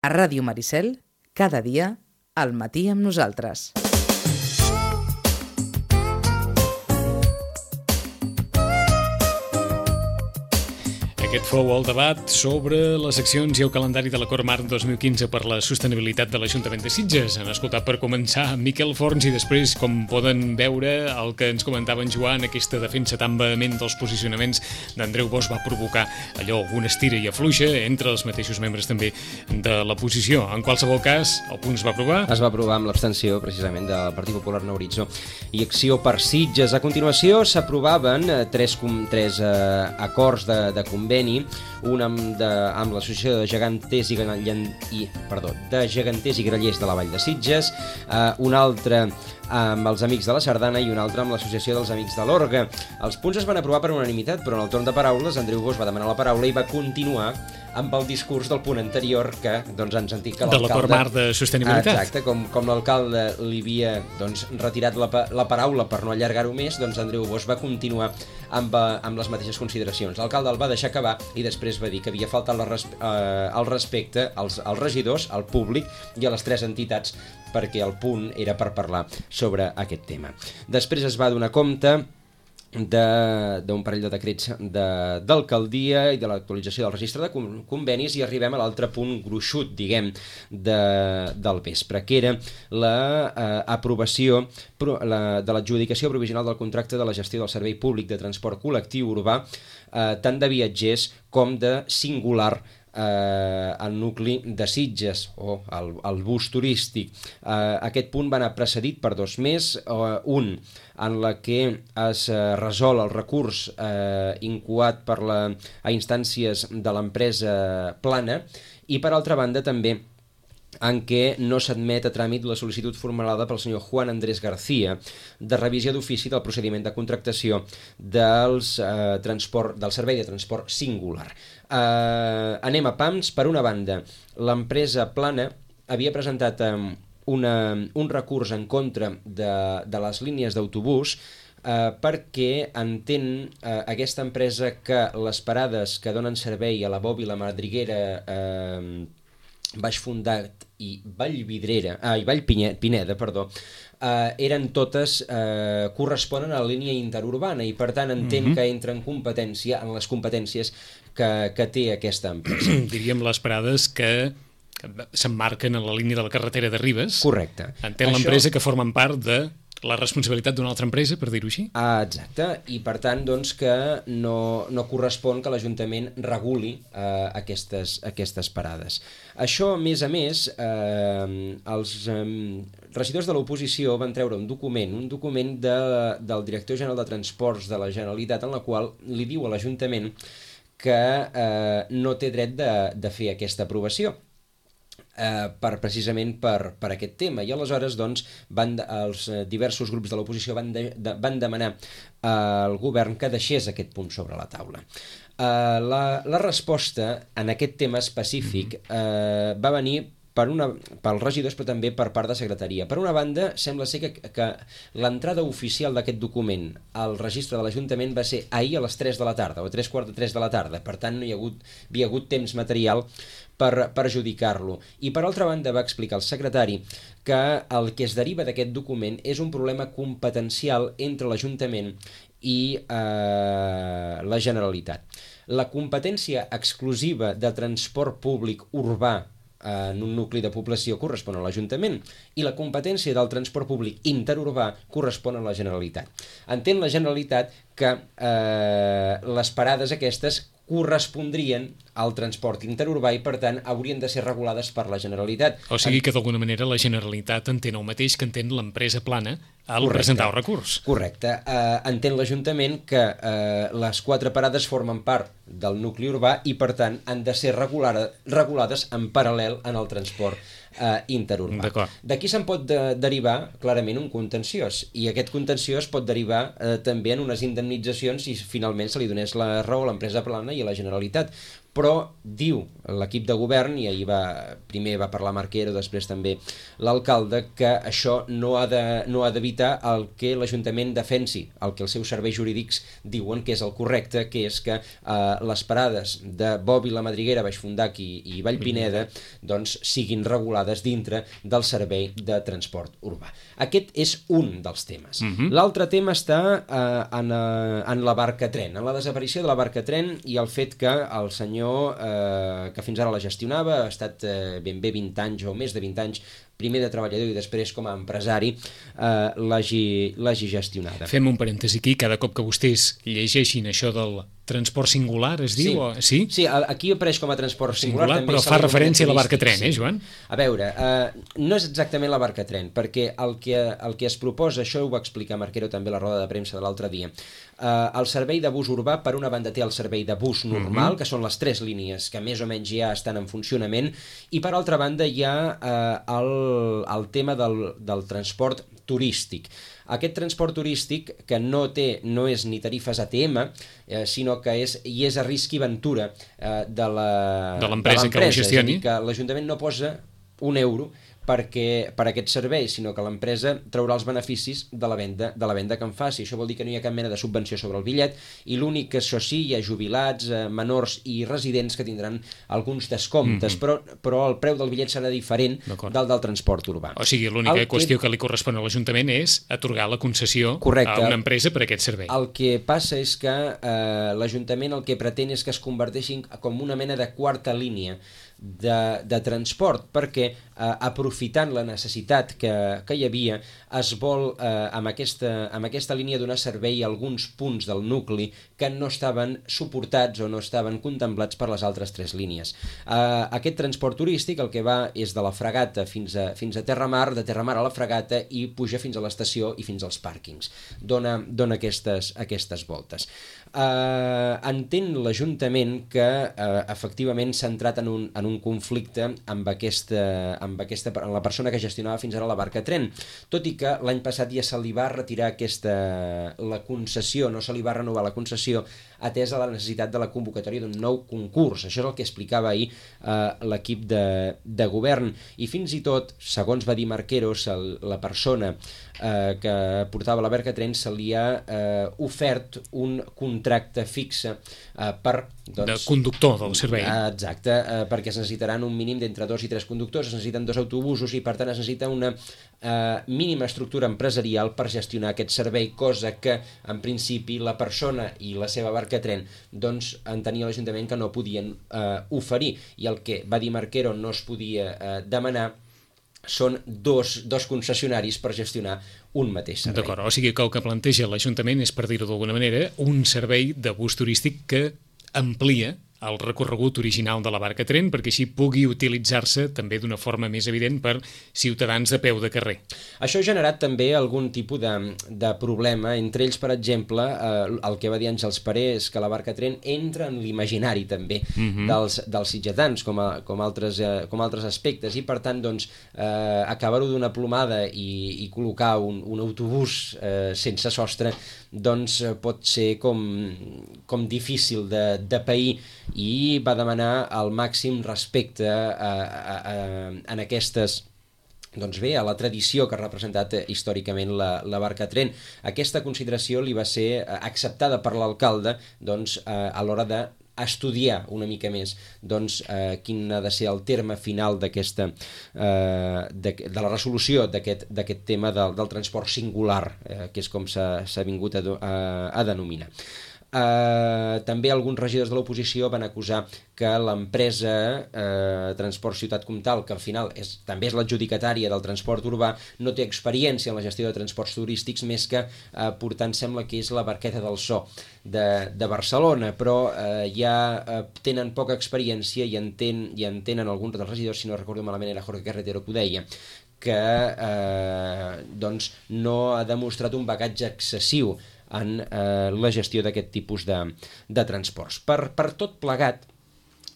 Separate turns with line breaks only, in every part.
A Ràdio Maricel, cada dia, al matí amb nosaltres.
Aquest fou el debat sobre les accions i el calendari de l'Acord Marc 2015 per la sostenibilitat de l'Ajuntament de Sitges. Han escoltat per començar Miquel Forns i després, com poden veure, el que ens comentava en Joan, aquesta defensa tan vehement dels posicionaments d'Andreu Bosch va provocar allò, una estira i afluixa entre els mateixos membres també de l'oposició. En qualsevol cas, el punt es va aprovar.
Es va aprovar amb l'abstenció, precisament, del Partit Popular Nou Horitzó i Acció per Sitges. A continuació, s'aprovaven tres acords de conveni, un amb l'Associació de Geganters i Grallers de la Vall de Sitges, un altre amb els Amics de la Sardana i un altre amb l'Associació dels Amics de l'Orga. Els punts es van aprovar per unanimitat, però en el torn de paraules Andreu Bosch va demanar la paraula i va continuar amb el discurs del punt anterior que ens han dit que l'alcalde...
De l'Acord Marc de Sostenibilitat.
Exacte, com l'alcalde li havia retirat la paraula per no allargar-ho més, Andreu Bosch va continuar amb les mateixes consideracions. L'alcalde el va deixar acabar i després va dir que havia faltat el respecte als regidors, al públic i a les tres entitats, perquè el punt era per parlar sobre aquest tema. Després es va donar compte d'un parell de decrets d'alcaldia i de l'actualització del registre de convenis i arribem a l'altre punt gruixut, diguem, del vespre, que era l'aprovació de l'adjudicació provisional del contracte de la gestió del servei públic de transport col·lectiu urbà, tant de viatgers com de singular el nucli de Sitges o el bus turístic. Aquest punt va anar precedit per dos més, un en la que es resol el recurs incoat a instàncies de l'empresa Plana i per altra banda també en què no s'admet a tràmit la sol·licitud formulada pel senyor Juan Andrés García de revisió d'ofici del procediment de contractació del servei de transport singular. Anem a pams. Per una banda, l'empresa Plana havia presentat un recurs en contra de les línies d'autobús perquè entén aquesta empresa que les parades que donen servei a la Bòbila, Madriguera, Baix Fundat i Vallpineda, eren totes, corresponen a la línia interurbana i per tant entén que entra en les competències que té aquesta empresa.
Diríem les parades que s'emmarquen en la línia de la carretera de Ribes.
Correcte.
Entén l'empresa que formen part de la responsabilitat d'una altra empresa, per dir-ho així?
Exacte, i per tant que no correspon que l'Ajuntament reguli aquestes parades. Això, a més, els regidors de l'oposició van treure un document del director general de Transports de la Generalitat en la qual li diu a l'Ajuntament que no té dret de fer aquesta aprovació. Precisament per aquest tema i aleshores els diversos grups de l'oposició van demanar al govern que deixés aquest punt sobre la taula. La resposta en aquest tema específic va venir pels regidors però també per part de secretaria. Per una banda, sembla ser que l'entrada oficial d'aquest document al registre de l'Ajuntament va ser ahir a les 3 de la tarda o a 3:45 de la tarda, per tant no hi havia hagut temps material per adjudicar-lo. I per altra banda va explicar el secretari que el que es deriva d'aquest document és un problema competencial entre l'Ajuntament i la Generalitat. La competència exclusiva de transport públic urbà en un nucli de població correspon a l'Ajuntament i la competència del transport públic interurbà correspon a la Generalitat. Entén la Generalitat que les parades aquestes correspondrien al transport interurbà i, per tant, haurien de ser regulades per la Generalitat.
O sigui que, d'alguna manera, la Generalitat entén el mateix que entén l'empresa Plana al presentar el recurs.
Correcte. Entén l'Ajuntament que les 4 parades formen part del nucli urbà i, per tant, han de ser regulades en paral·lel en el transport interurbà. D'aquí se'n pot derivar clarament un contenciós i aquest contenciós pot derivar també en unes indemnitzacions si finalment se li donés la raó a l'empresa Plana i a la Generalitat, però diu l'equip de govern, i ahir primer va parlar Marquero, després també l'alcalde, que això no ha d'evitar el que l'Ajuntament defensi, el que els seus serveis jurídics diuen que és el correcte, que és que les parades de Bob i la Madriguera, Baix Fondac i Vallpineda doncs siguin regulades dintre del servei de transport urbà. Aquest és un dels temes. L'altre tema està en la barca tren, en la desaparició de la barca tren i el fet que el senyor que fins ara la gestionava, ha estat ben bé 20 anys o més de 20 anys, primer de treballador i després com a empresari, l'hagi gestionada.
Fem un parèntesi aquí, cada cop que vostès llegeixin això del transport singular, es diu?
Sí, aquí apareix com a transport singular
però fa referència a la barca tren, Joan?
A veure, no és exactament la barca tren, perquè el que es proposa, això ho va explicar Marquero també a la roda de premsa de l'altre dia, el servei de bus urbà, per una banda té el servei de bus normal, que són les 3 línies que més o menys ja estan en funcionament, i per altra banda hi ha el tema del transport turístic. Aquest transport turístic, que no és ni tarifes ATM, sinó que és a risc i ventura de
l'empresa que ho gestioni.
És a dir, que l'Ajuntament no posa un euro per aquest servei, sinó que l'empresa traurà els beneficis de la venda que en faci. Això vol dir que no hi ha cap mena de subvenció sobre el bitllet, i l'únic que això sí, hi ha jubilats, menors i residents que tindran alguns descomptes, però el preu del bitllet serà diferent del transport urbà.
O sigui, l'única qüestió que li correspon a l'Ajuntament és atorgar la concessió a una empresa per aquest servei.
El que passa és que l'Ajuntament el que pretén és que es converteixin com una mena de quarta línia de transport, perquè aprofitant la necessitat que hi havia, es vol amb aquesta línia donar servei a alguns punts del nucli que no estaven suportats o no estaven contemplats per les altres 3 línies. Aquest transport turístic el que va és de la Fragata fins a Terramar, de Terramar a la Fragata, i puja fins a l'estació i fins als pàrquings. Dona aquestes voltes. Entén l'Ajuntament que efectivament s'ha entrat en un conflicte amb la persona que gestionava fins ara la barca tren, tot i que l'any passat ja se li va retirar la concessió, no se li va renovar la concessió, atesa la necessitat de la convocatòria d'un nou concurs. Això és el que explicava ahir l'equip de govern, i fins i tot, segons va dir Marquero, la persona que portava la barca tren se li ha ofert un contracte fixe
de conductor del servei.
Exacte, perquè es necessitaran un mínim d'entre 2 i 3 conductors, es necessiten 2 autobusos i per tant es necessita una mínima estructura empresarial per gestionar aquest servei, cosa que en principi la persona i la seva barca tren doncs entenia l'Ajuntament que no podien oferir, i el que va dir Marquero no es podia demanar són dos concessionaris per gestionar un mateix servei.
D'acord, o sigui que el que planteja l'Ajuntament és, per dir-ho d'alguna manera, un servei de bus turístic que amplia el recorregut original de la barca tren perquè així pugui utilitzar-se també d'una forma més evident per ciutadans de peu de carrer.
Això ha generat també algun tipus de problema, entre ells, per exemple, el que va dir Àngels Paré és que la barca tren entra en l'imaginari també dels sitgetans com altres aspectes, i per tant doncs, acabar-ho d'una plomada i col·locar un autobús sense sostre doncs pot ser com difícil de pair, i va demanar el màxim respecte en aquestes, doncs bé, a la tradició que ha representat històricament la barca tren. Aquesta consideració li va ser acceptada per l'alcalde doncs, a l'hora d'estudiar una mica més doncs, quin ha de ser el terme final de la resolució d'aquest tema del transport singular, que és com s'ha vingut a denominar. També alguns regidors de l'oposició van acusar que l'empresa Transport Ciutat Comtal, que al final també és l'adjudicatària del transport urbà, no té experiència en la gestió de transports turístics, més que portant, sembla que és la Barqueta del So de Barcelona, però ja tenen poca experiència i entenen alguns dels regidors, si no recordo malament era Jorge Carretero que ho deia, que doncs no ha demostrat un bagatge excessiu en la gestió d'aquest tipus de transports. Per tot plegat,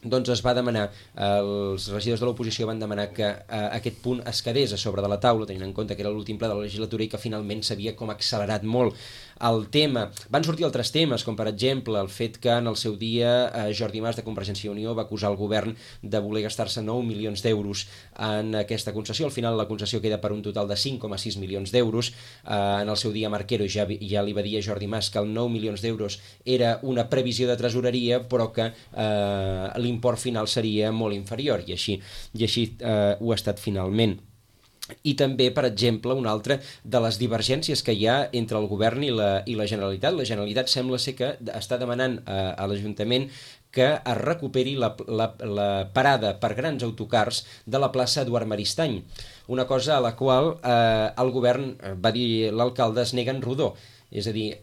doncs es va demanar, els regidors de l'oposició van demanar que aquest punt es quedés a sobre de la taula, tenint en compte que era l'últim ple de la legislatura i que finalment s'havia com accelerat molt el tema. Van sortir altres temes, com per exemple el fet que en el seu dia Jordi Mas de Convergència i Unió va acusar el govern de voler gastar-se 9 milions d'euros en aquesta concessió. Al final la concessió queda per un total de 5,6 milions d'euros. En el seu dia Marquero ja li va dir a Jordi Mas que el 9 milions d'euros era una previsió de tresoreria, però que l'import final seria molt inferior, i així ho ha estat finalment. I també, per exemple, una altra de les divergències que hi ha entre el govern i la Generalitat. La Generalitat sembla ser que està demanant a l'Ajuntament que es recuperi la parada per grans autocars de la plaça Eduard Maristany, una cosa a la qual el govern, va dir l'alcalde, es nega en rodó. És a dir,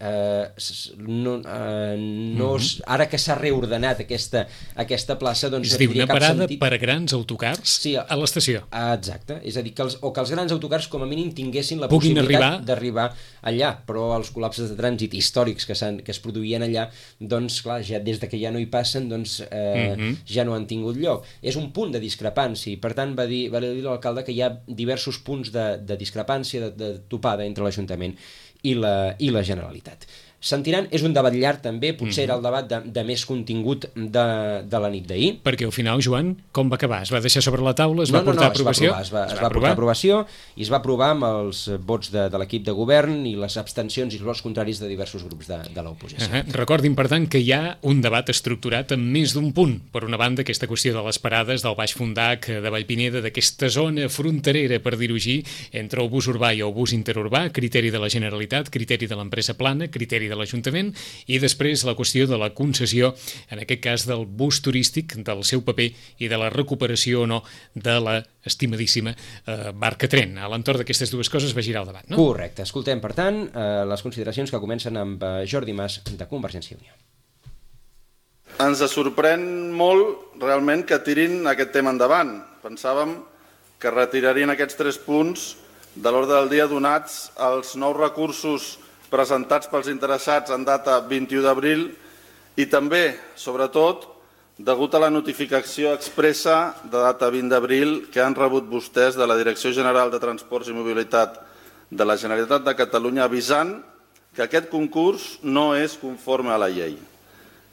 ara que s'ha reordenat aquesta plaça, doncs
és a dir, una parada per a grans autocars a l'estació.
Exacte, és a dir, que els grans autocars com a mínim tinguessin la possibilitat d'arribar allà, però els col·lapses de trànsit històrics que es produïen allà, doncs clar, ja des que ja no hi passen, doncs ja no han tingut lloc. És un punt de discrepància, i per tant va dir l'alcalde que hi ha diversos punts de discrepància, de topada entre l'Ajuntament i la Generalitat. Sentiran, és un debat llarg també, potser era el debat de més contingut de la nit d'ahir.
Perquè al final, Joan, com va acabar? Es va deixar sobre la taula? Es va portar a aprovació?
Es va portar a aprovació i es va aprovar amb els vots de l'equip de govern i les abstencions i els vots contraris de diversos grups de l'oposició.
Recordin, per tant, que hi ha un debat estructurat en més d'un punt. Per una banda, aquesta qüestió de les parades del Baix Fondac, de Vallpineda, d'aquesta zona fronterera, per dir-ho així, entre el bus urbà i el bus interurbà, criteri de la Generalitat, criteri de l'empresa plana, criteri de l'Ajuntament, i després la qüestió de la concessió, en aquest cas del bus turístic, del seu paper i de la recuperació o no de la estimadíssima barca tren. A l'entorn d'aquestes dues coses va girar el debat, no?
Correcte. Escoltem, per tant, les consideracions que comencen amb Jordi Mas de Convergència i Unió.
Ens sorprèn molt realment que tirin aquest tema endavant. Pensàvem que retirarien aquests 3 punts de l'ordre del dia donats els nous recursos presentats pels interessats en data 21 d'abril i també, sobretot, degut a la notificació expressa de data 20 d'abril que han rebut vostès de la Direcció General de Transports i Mobilitat de la Generalitat de Catalunya avisant que aquest concurs no és conforme a la llei,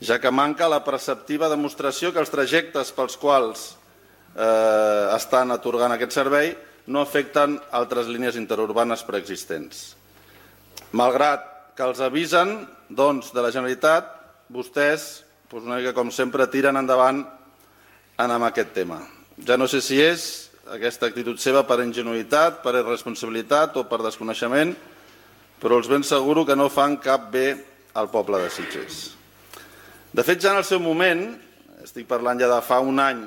ja que manca la preceptiva demostració que els trajectes pels quals estan atorgant aquest servei no afecten altres línies interurbanes preexistents. Malgrat que els avisen doncs, de la Generalitat, vostès, una mica com sempre, tiren endavant amb aquest tema. Ja no sé si és aquesta actitud seva per ingenuïtat, per irresponsabilitat o per desconeixement, però els ben asseguro que no fan cap bé al poble de Sitges. De fet, ja en el seu moment, estic parlant ja de fa un any,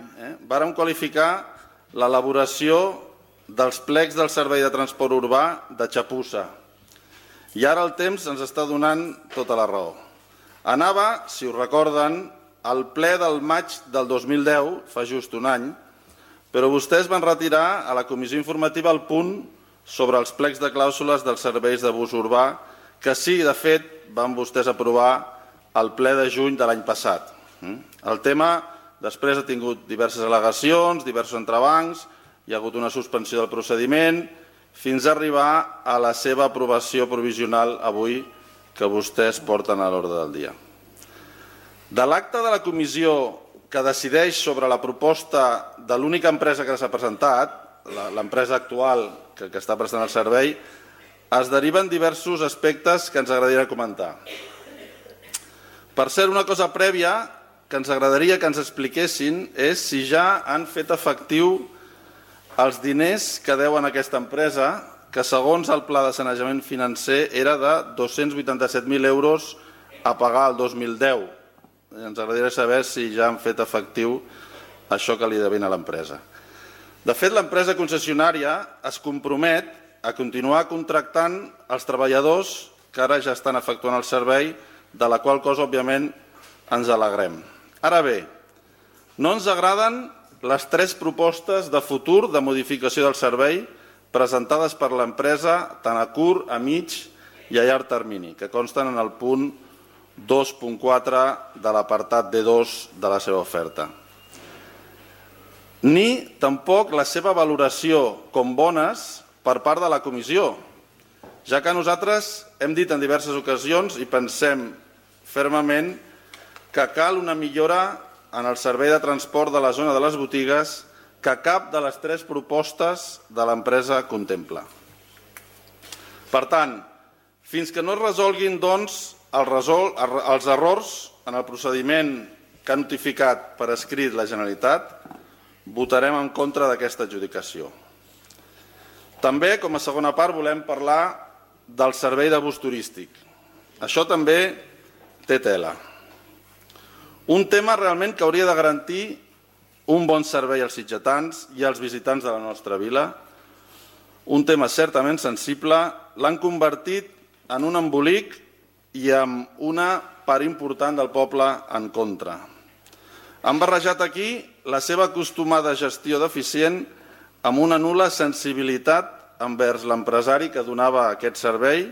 vàrem qualificar l'elaboració dels plecs del servei de transport urbà de xapussa. I ara el temps ens està donant tota la raó. Anava, si us recorden, al ple del maig del 2010, fa just un any, però vostès van retirar a la comissió informativa el punt sobre els plecs de clàusules dels serveis de bus urbà, que sí, de fet, van vostès aprovar al ple de juny de l'any passat. El tema després ha tingut diverses al·legacions, diversos entrebancs, hi ha hagut una suspensió del procediment, fins a arribar a la seva aprovació provisional avui que vostès porten a l'ordre del dia. De l'acte de la comissió que decideix sobre la proposta de l'única empresa que s'ha presentat, l'empresa actual que està prestant el servei, es deriven diversos aspectes que ens agradaria comentar. Per cert, una cosa prèvia que ens agradaria que ens expliquessin és si ja han fet efectiu els diners que deuen a aquesta empresa, que segons el pla de sanejament financer era de 287.000 euros a pagar el 2010. Ens agradaria saber si ja han fet efectiu això que li devien a l'empresa. De fet, l'empresa concessionària es compromet a continuar contractant els treballadors que ara ja estan efectuant el servei, de la qual cosa, òbviament, ens alegrem. Ara bé, no ens agraden les 3 propostes de futur de modificació del servei presentades per l'empresa tant a curt, a mig i a llarg termini, que consten en el punt 2.4 de l'apartat D2 de la seva oferta. Ni tampoc la seva valoració com bones per part de la comissió, ja que nosaltres hem dit en diverses ocasions i pensem fermament que cal una millora en el servei de transport de la zona de les botigues que cap de les 3 propostes de l'empresa contempla. Per tant, fins que no es resolguin doncs, els errors en el procediment que ha notificat per escrit la Generalitat, votarem en contra d'aquesta adjudicació. També, com a segona part, volem parlar del servei de bus turístic. Això també té tela. Un tema realment que hauria de garantir un bon servei als sitgetans i als visitants de la nostra vila. Un tema certament sensible, l'han convertit en un embolic i amb una part important del poble en contra. Han barrejat aquí la seva acostumada gestió deficient amb una nul·la sensibilitat envers l'empresari que donava aquest servei,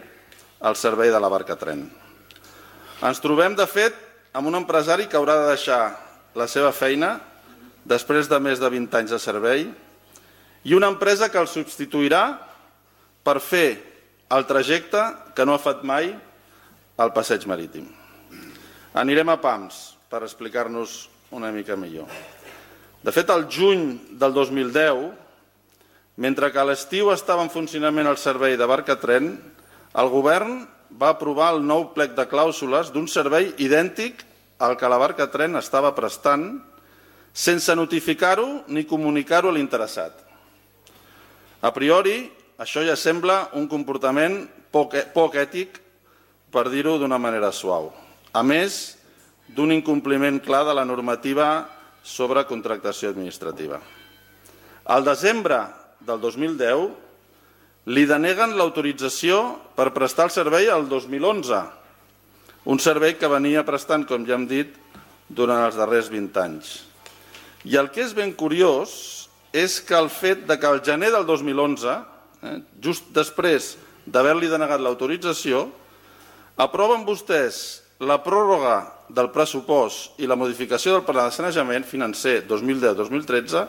el servei de la Barcatren. Ens trobem, de fet, amb un empresari que haurà de deixar la seva feina després de més de 20 anys de servei i una empresa que el substituirà per fer el trajecte que no ha fet mai al passeig marítim. Anirem a pams per explicar-nos una mica millor. De fet, al juny del 2010, mentre que a l'estiu estava en funcionament el servei de Barcatren, el govern va aprovar el nou plec de clàusules d'un servei idèntic al que la Barcatren estava prestant sense notificar-ho ni comunicar-ho a l'interessat. A priori, això ja sembla un comportament poc ètic, per dir-ho d'una manera suau, a més d'un incompliment clar de la normativa sobre contractació administrativa. Al desembre del 2010 li deneguen l'autorització per prestar el servei al 2011, un servei que venia prestant, com ja hem dit, durant els darrers 20 anys. I el que és ben curiós és que el fet que al gener del 2011, just després d'haver-li denegat l'autorització, aproven vostès la pròrroga del pressupost i la modificació del pla de sanejament financer 2010-2013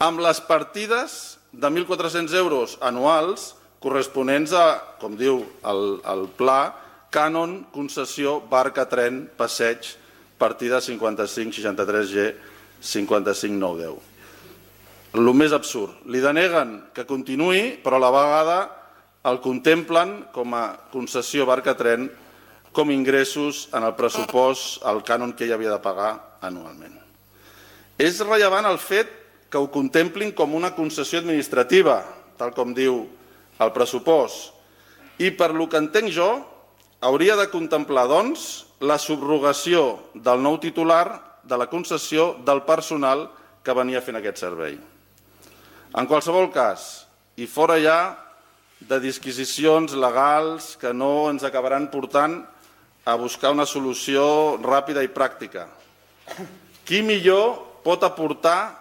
amb les partides de 1.400 euros anuals corresponents a, com diu el pla, cànon, concessió, barca, tren, passeig, partida 5563G 55910. El més absurd. Li deneguen que continuï, però a la vegada el contemplen com a concessió barca-tren com ingressos en el pressupost, el cànon que ell havia de pagar anualment. És rellevant el fet que ho contemplin com una concessió administrativa, tal com diu el pressupost, i per lo que entenc jo, hauria de contemplar, doncs, la subrogació del nou titular de la concessió del personal que venia fent aquest servei. En qualsevol cas, i fora ja de disquisicions legals que no ens acabaran portant a buscar una solució ràpida i pràctica. Qui millor pot aportar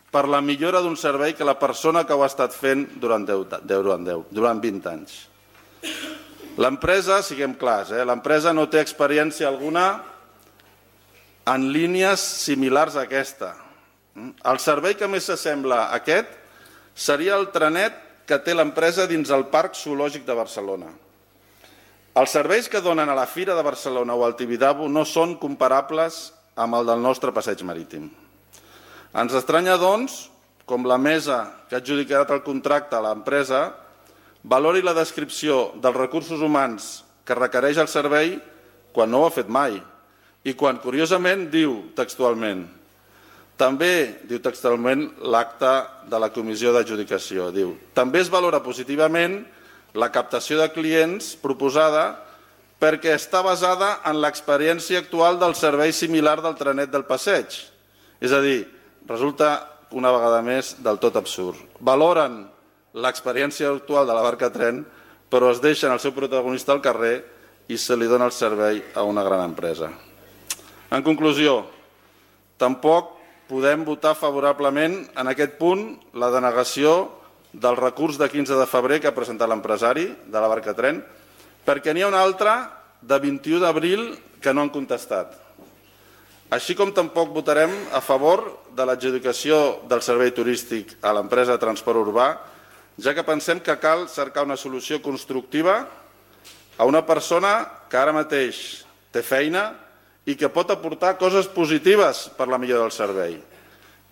per la millora d'un servei que la persona que ho ha estat fent durant 20 anys? L'empresa, siguem clars, l'empresa no té experiència alguna en línies similars a aquesta. El servei que més s'assembla a aquest seria el trenet que té l'empresa dins el Parc Zoològic de Barcelona. Els serveis que donen a la Fira de Barcelona o al Tibidabo no són comparables amb el del nostre passeig marítim. Ens estranya, doncs, com la mesa que ha adjudicat el contracte a l'empresa valori la descripció dels recursos humans que requereix el servei quan no ho ha fet mai i quan, curiosament, diu textualment. També diu textualment l'acte de la comissió d'adjudicació. Diu, també es valora positivament la captació de clients proposada perquè està basada en l'experiència actual del servei similar del trenet del passeig. És a dir, resulta una vegada més del tot absurd. Valoren l'experiència actual de la barca tren, però es deixen el seu protagonista al carrer i se li dona el servei a una gran empresa. En conclusió, tampoc podem votar favorablement en aquest punt la denegació del recurs de 15 de febrer que ha presentat l'empresari de la barca tren, perquè n'hi ha un altre de 21 d'abril que no han contestat. Així com tampoc votarem a favor de l'adjudicació del servei turístic a l'empresa de transport urbà ja que pensem que cal cercar una solució constructiva a una persona que ara mateix té feina i que pot aportar coses positives per la millora del servei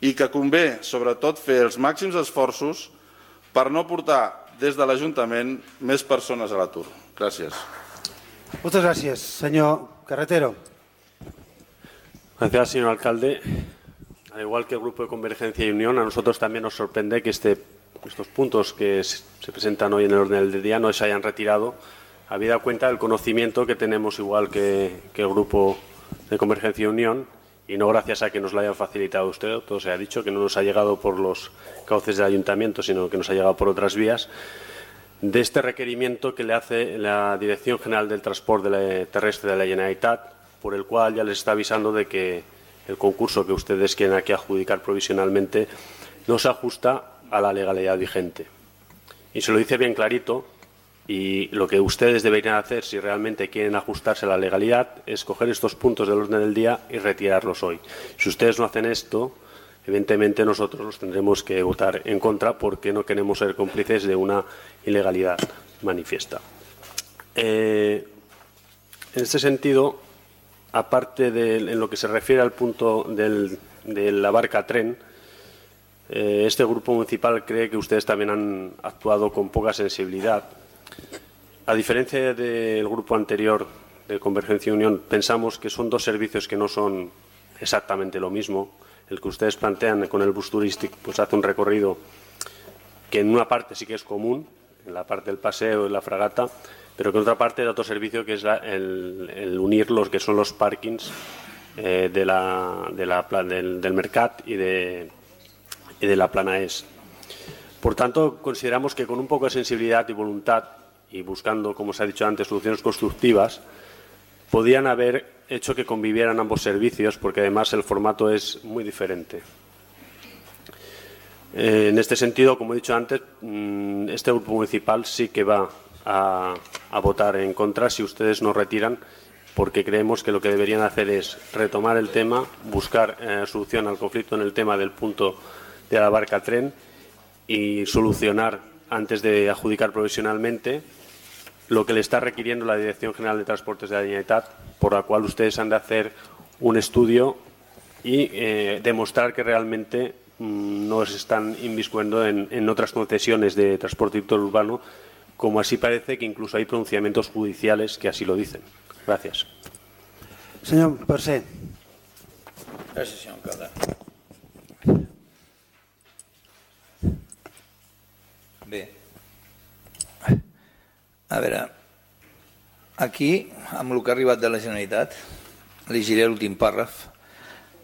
i que convé, sobretot, fer els màxims esforços per no portar des de l'Ajuntament més persones a l'atur. Gràcies.
Muchas gracias. Señor Carretero.
Gracias, señor alcalde. Al igual que el Grupo de Convergencia y Unión, a nosotros también nos sorprende que estos puntos que se presentan hoy en el orden del día no se hayan retirado, habida cuenta del conocimiento que tenemos, igual que el Grupo de Convergencia y Unión, y no gracias a que nos lo haya facilitado usted, todo se ha dicho, que no nos ha llegado por los cauces del Ayuntamiento, sino que nos ha llegado por otras vías, de este requerimiento que le hace la Dirección General del Transporte Terrestre de la Generalitat, por el cual ya les está avisando de que el concurso que ustedes quieren aquí adjudicar provisionalmente no se ajusta a la legalidad vigente. Y se lo dice bien clarito, y lo que ustedes deberían hacer, si realmente quieren ajustarse a la legalidad, es coger estos puntos del orden del día y retirarlos hoy. Si ustedes no hacen esto, evidentemente nosotros los tendremos que votar en contra porque no queremos ser cómplices de una ilegalidad manifiesta. En este sentido, aparte en lo que se refiere al punto de la barca tren, este grupo municipal cree que ustedes también han actuado con poca sensibilidad. A diferencia del grupo anterior de Convergencia y Unión, pensamos que son dos servicios que no son exactamente lo mismo. El que ustedes plantean con el bus turístico pues hace un recorrido que en una parte sí que es común, en la parte del paseo y la fragata, pero que en otra parte da otro servicio que es el unir los que son los parkings del Mercat y de la Plana Est. Por tanto, consideramos que con un poco de sensibilidad y voluntad y buscando, como se ha dicho antes, soluciones constructivas, podían haber hecho que convivieran ambos servicios, porque además el formato es muy diferente. En este sentido, como he dicho antes, este grupo municipal sí que va a votar en contra si ustedes no retiran, porque creemos que lo que deberían hacer es retomar el tema, buscar solución al conflicto en el tema del punto de la barca tren y solucionar antes de adjudicar provisionalmente lo que le está requiriendo la Dirección General de Transportes de la Generalitat, por la cual ustedes han de hacer un estudio y demostrar que realmente no se están inmiscuyendo en otras concesiones de transporte interurbano, como así parece que incluso hay pronunciamientos judiciales que así lo dicen. Gracias.
Señor Percé.
Gràcies, senyor alcalde. Bé, a veure, aquí, amb el que ha arribat de la Generalitat, llegiré l'últim pàrraf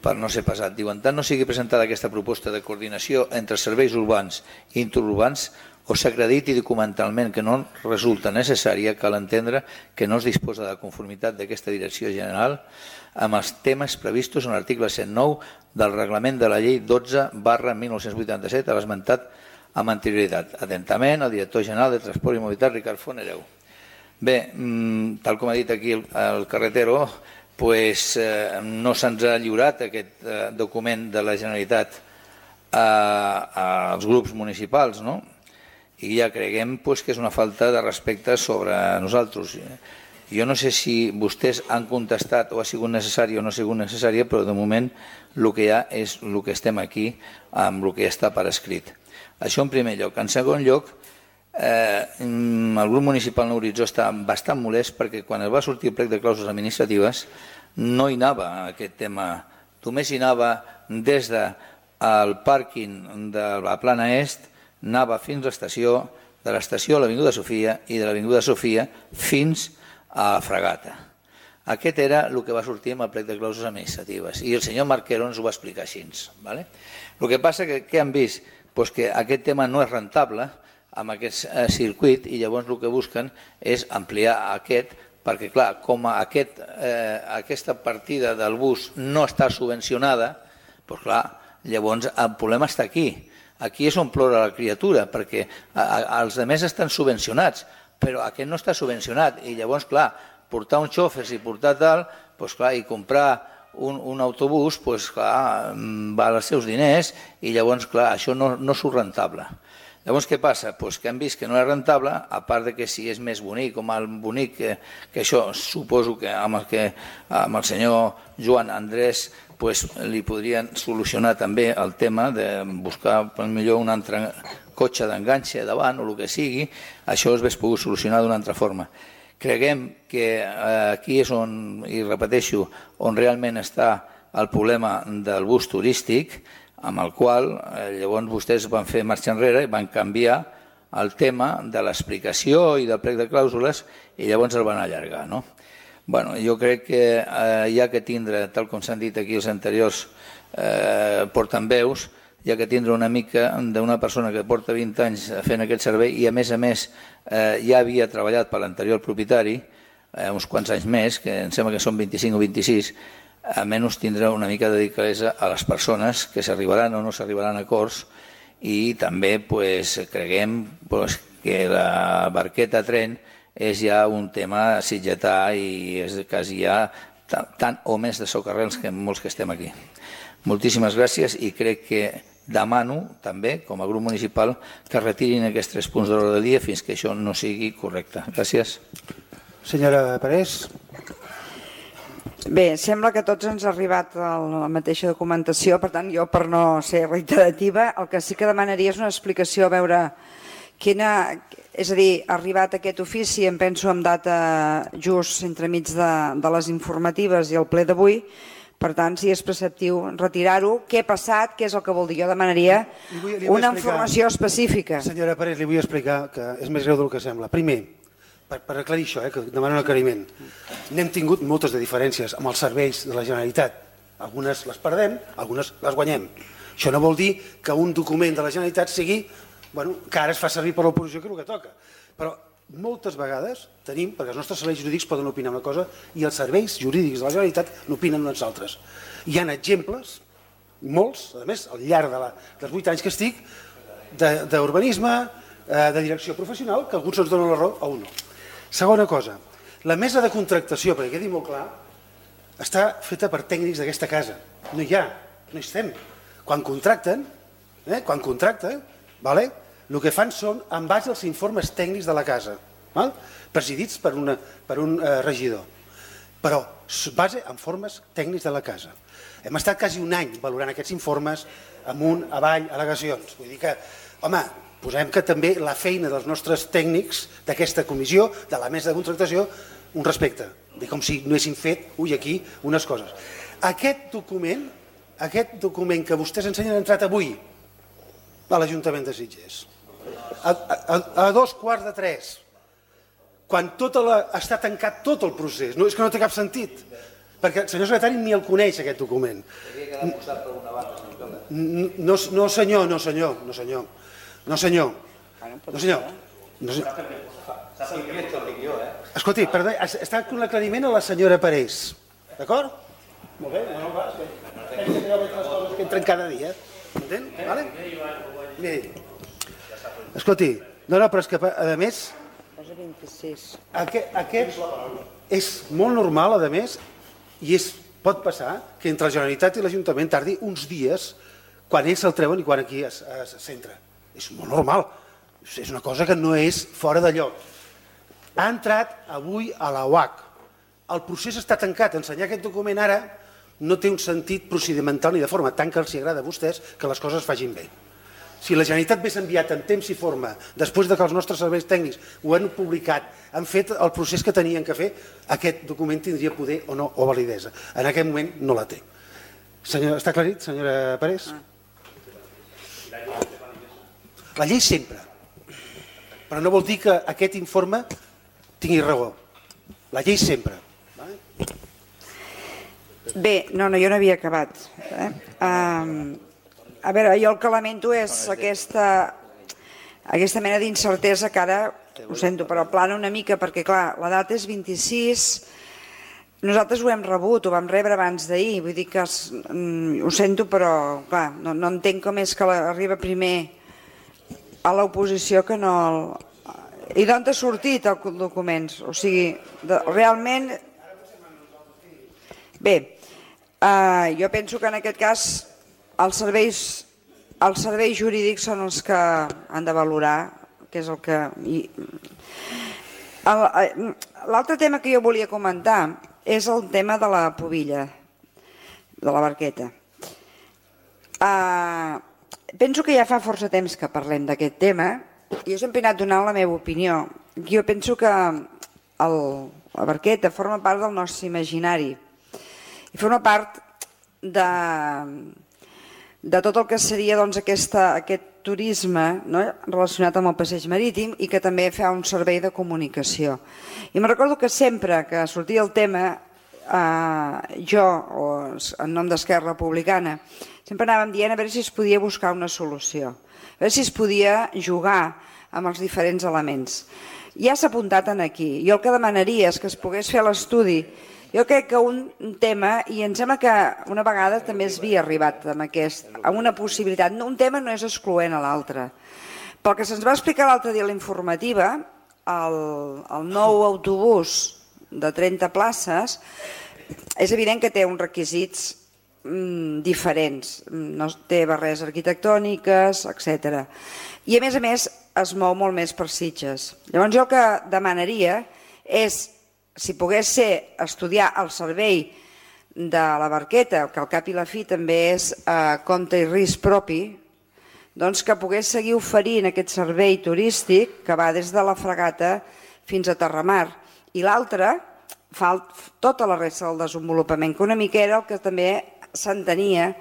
per no ser pesat. Diu, en tant no sigui presentada aquesta proposta de coordinació entre serveis urbans i interurbans o s'acrediti documentalment que no resulta necessària, cal entendre que no es disposa de conformitat d'aquesta direcció general amb els temes previstos en l'article 109 del reglament de la llei 12/1987 a l'esmentat amb anterioritat. Atentament, el director general de Transport i Mobilitat, Ricard Fonereu. Bé, tal com ha dit aquí el Carretero, no se'ns ha lliurat aquest document de la Generalitat als grups municipals, no? I ja creguem que és una falta de respecte sobre nosaltres. Jo no sé si vostès han contestat o ha sigut necessària o no ha sigut necessària, però de moment el que hi ha és el que estem aquí amb el que està per escrit. Això en primer lloc. En segon lloc, el grup municipal Nou Horitzó està bastant molest perquè quan es va sortir el plec de clàusules administratives no hi anava aquest tema. Només hi anava des del pàrquing de la Plana Est, anava fins a l'estació, de l'estació a l'Avinguda Sofia i de l'Avinguda Sofia fins a la Fragata. Aquest era el que va sortir amb el plec de clàusules administratives i el senyor Marquero ens ho va explicar així. El que passa que han vist que aquest tema no és rentable amb aquest circuit i llavors el que busquen és ampliar aquest perquè, clar, com aquesta partida del bus no està subvencionada, llavors el problema està aquí. Aquí és on plora la criatura, perquè els altres estan subvencionats, però aquest no està subvencionat. I llavors, clar, portar uns xòfers i portar tal, i comprar un autobús, doncs, clar, val els seus diners i llavors, clar, això no surt rentable. Llavors, què passa? Doncs que han vist que no és rentable, a part de que si és més bonic o mal bonic, que això suposo que amb el senyor Joan Andrés li podrien solucionar també el tema de buscar millor un altre cotxe d'enganxe davant o el que sigui, això es hauria pogut solucionar d'una altra forma. Creguem que aquí és on, i repeteixo, on realment està el problema del bus turístic, amb el qual llavors vostès van fer marxa enrere i van canviar el tema de l'explicació i del plec de clàusules i llavors el van allargar, no? Bueno, jo crec que hi ha que tindre, tal com s'han dit aquí els anteriors portaveus, hi ha que tindre una mica d'una persona que porta 20 anys fent aquest servei i a més ja havia treballat per l'anterior propietari uns quants anys més, que em sembla que són 25 o 26, almenys tindre una mica de delicadesa a les persones que s'arribaran o no s'arribaran a acords i també creguem que la barqueta tren és ja un tema sitgetà i és quasi ja tant o més de socarrels que molts que estem aquí. Moltíssimes gràcies i crec que demano també, com a grup municipal, que retirin aquests 3 punts de l'ordre del dia fins que això no sigui correcte. Gràcies.
Senyora Parés.
Bé, sembla que a tots ens ha arribat la mateixa documentació, per tant, jo per no ser reiterativa, el que sí que demanaria és una explicació, a veure quina... És a dir, ha arribat aquest ofici, em penso, amb data just entremig de les informatives i el ple d'avui, per tant, si és preceptiu retirar-ho, què ha passat, què és el que vol dir? Jo demanaria una informació específica.
Senyora Parés, li vull explicar que és més greu del que sembla. Primer, per aclarir això, que demano un aclariment, n'hem tingut moltes de diferències amb els serveis de la Generalitat. Algunes les perdem, algunes les guanyem. Això no vol dir que un document de la Generalitat sigui que ara es fa servir per l'oposició, que és el que toca. Però moltes vegades tenim, perquè els nostres serveis jurídics poden opinar una cosa i els serveis jurídics de la Generalitat n'opinen uns altres. Hi ha exemples, molts, a més, al llarg dels 8 anys que estic, d'urbanisme, de direcció professional, que alguns ens donen la raó a un no. Segona cosa, la mesa de contractació, perquè quedi molt clar, està feta per tècnics d'aquesta casa. No hi ha, no hi estem. Quan contracten, el que fan són en base als informes tècnics de la casa, presidits per un regidor, però base en informes tècnics de la casa. Hem estat quasi un any valorant aquests informes amunt, avall, al·legacions. Vull dir que, home, posem que també la feina dels nostres tècnics d'aquesta comissió, de la mesa de contractació, un respecte, com si no haguessin fet, aquí, unes coses. Aquest document que vostès ens han entrat avui a l'Ajuntament de Sitges, a 2:15, quan està tancat tot el procés. És que no té cap sentit, perquè el senyor secretari ni el coneix, aquest document. No senyor. Escolti, està con l'aclariment a la senyora Parés, d'acord? Molt bé, que entren cada dia, entén? Bé, escolti, no, però és que a més aquest és molt normal, a més, i pot passar que entre la Generalitat i l'Ajuntament tardi uns dies quan ells se'l treuen i quan aquí es centra. És molt normal, és una cosa que no és fora de lloc. Ha entrat avui a la UAC, el procés està tancat, ensenyar aquest document ara no té un sentit procedimental ni de forma, tant que els agrada a vostès que les coses facin bé. Si la Generalitat hagués enviat en temps i forma, després que els nostres serveis tècnics ho han publicat, han fet el procés que tenien que fer, aquest document tindria poder o no, o validesa. En aquest moment no la té. Està aclarit, senyora Parés? La llei sempre, però no vol dir que aquest informe tingui raó. La llei sempre.
Bé, no, jo no havia acabat. A veure, jo el que lamento és aquesta mena d'incertesa que ara, ho sento, però plana una mica, perquè clar, la data és 26, nosaltres ho hem rebut, ho vam rebre abans d'ahir, vull dir que ho sento, però clar, no entenc com és que arriba primer a l'oposició que no... I d'on ha sortit els documents? O sigui, realment... Bé, Jo penso que en aquest cas els serveis jurídics són els que han de valorar, que és el que... L'altre tema que jo volia comentar és el tema de la pubilla, de la barqueta. Penso que ja fa força temps que parlem d'aquest tema i jo sempre he anat donant la meva opinió. Jo penso que la barqueta forma part del nostre imaginari i forma part de tot el que seria aquest turisme relacionat amb el passeig marítim i que també fa un servei de comunicació. I me'n recordo que sempre que sortia el tema, jo, en nom d'Esquerra Republicana, sempre anàvem dient a veure si es podia buscar una solució, a veure si es podia jugar amb els diferents elements. Ja s'ha apuntat aquí. Jo el que demanaria és que es pogués fer l'estudi. Jo crec que un tema, i em sembla que una vegada també es havia arribat amb una possibilitat, un tema no és excloent a l'altre. Pel que se'ns va explicar l'altre dia a la informativa, el nou autobús de 30 places és evident que té uns requisits diferents, no té barreres arquitectòniques, etc. I a més es mou molt més per Sitges. Llavors jo el que demanaria és, si pogués ser estudiar el servei de la barqueta, que al cap i la fi també és compte i risc propi, doncs que pogués seguir oferint aquest servei turístic que va des de la Fragata fins a Terramar. I l'altre fa tota la resta del desenvolupament, que una mica era el que també s'entenia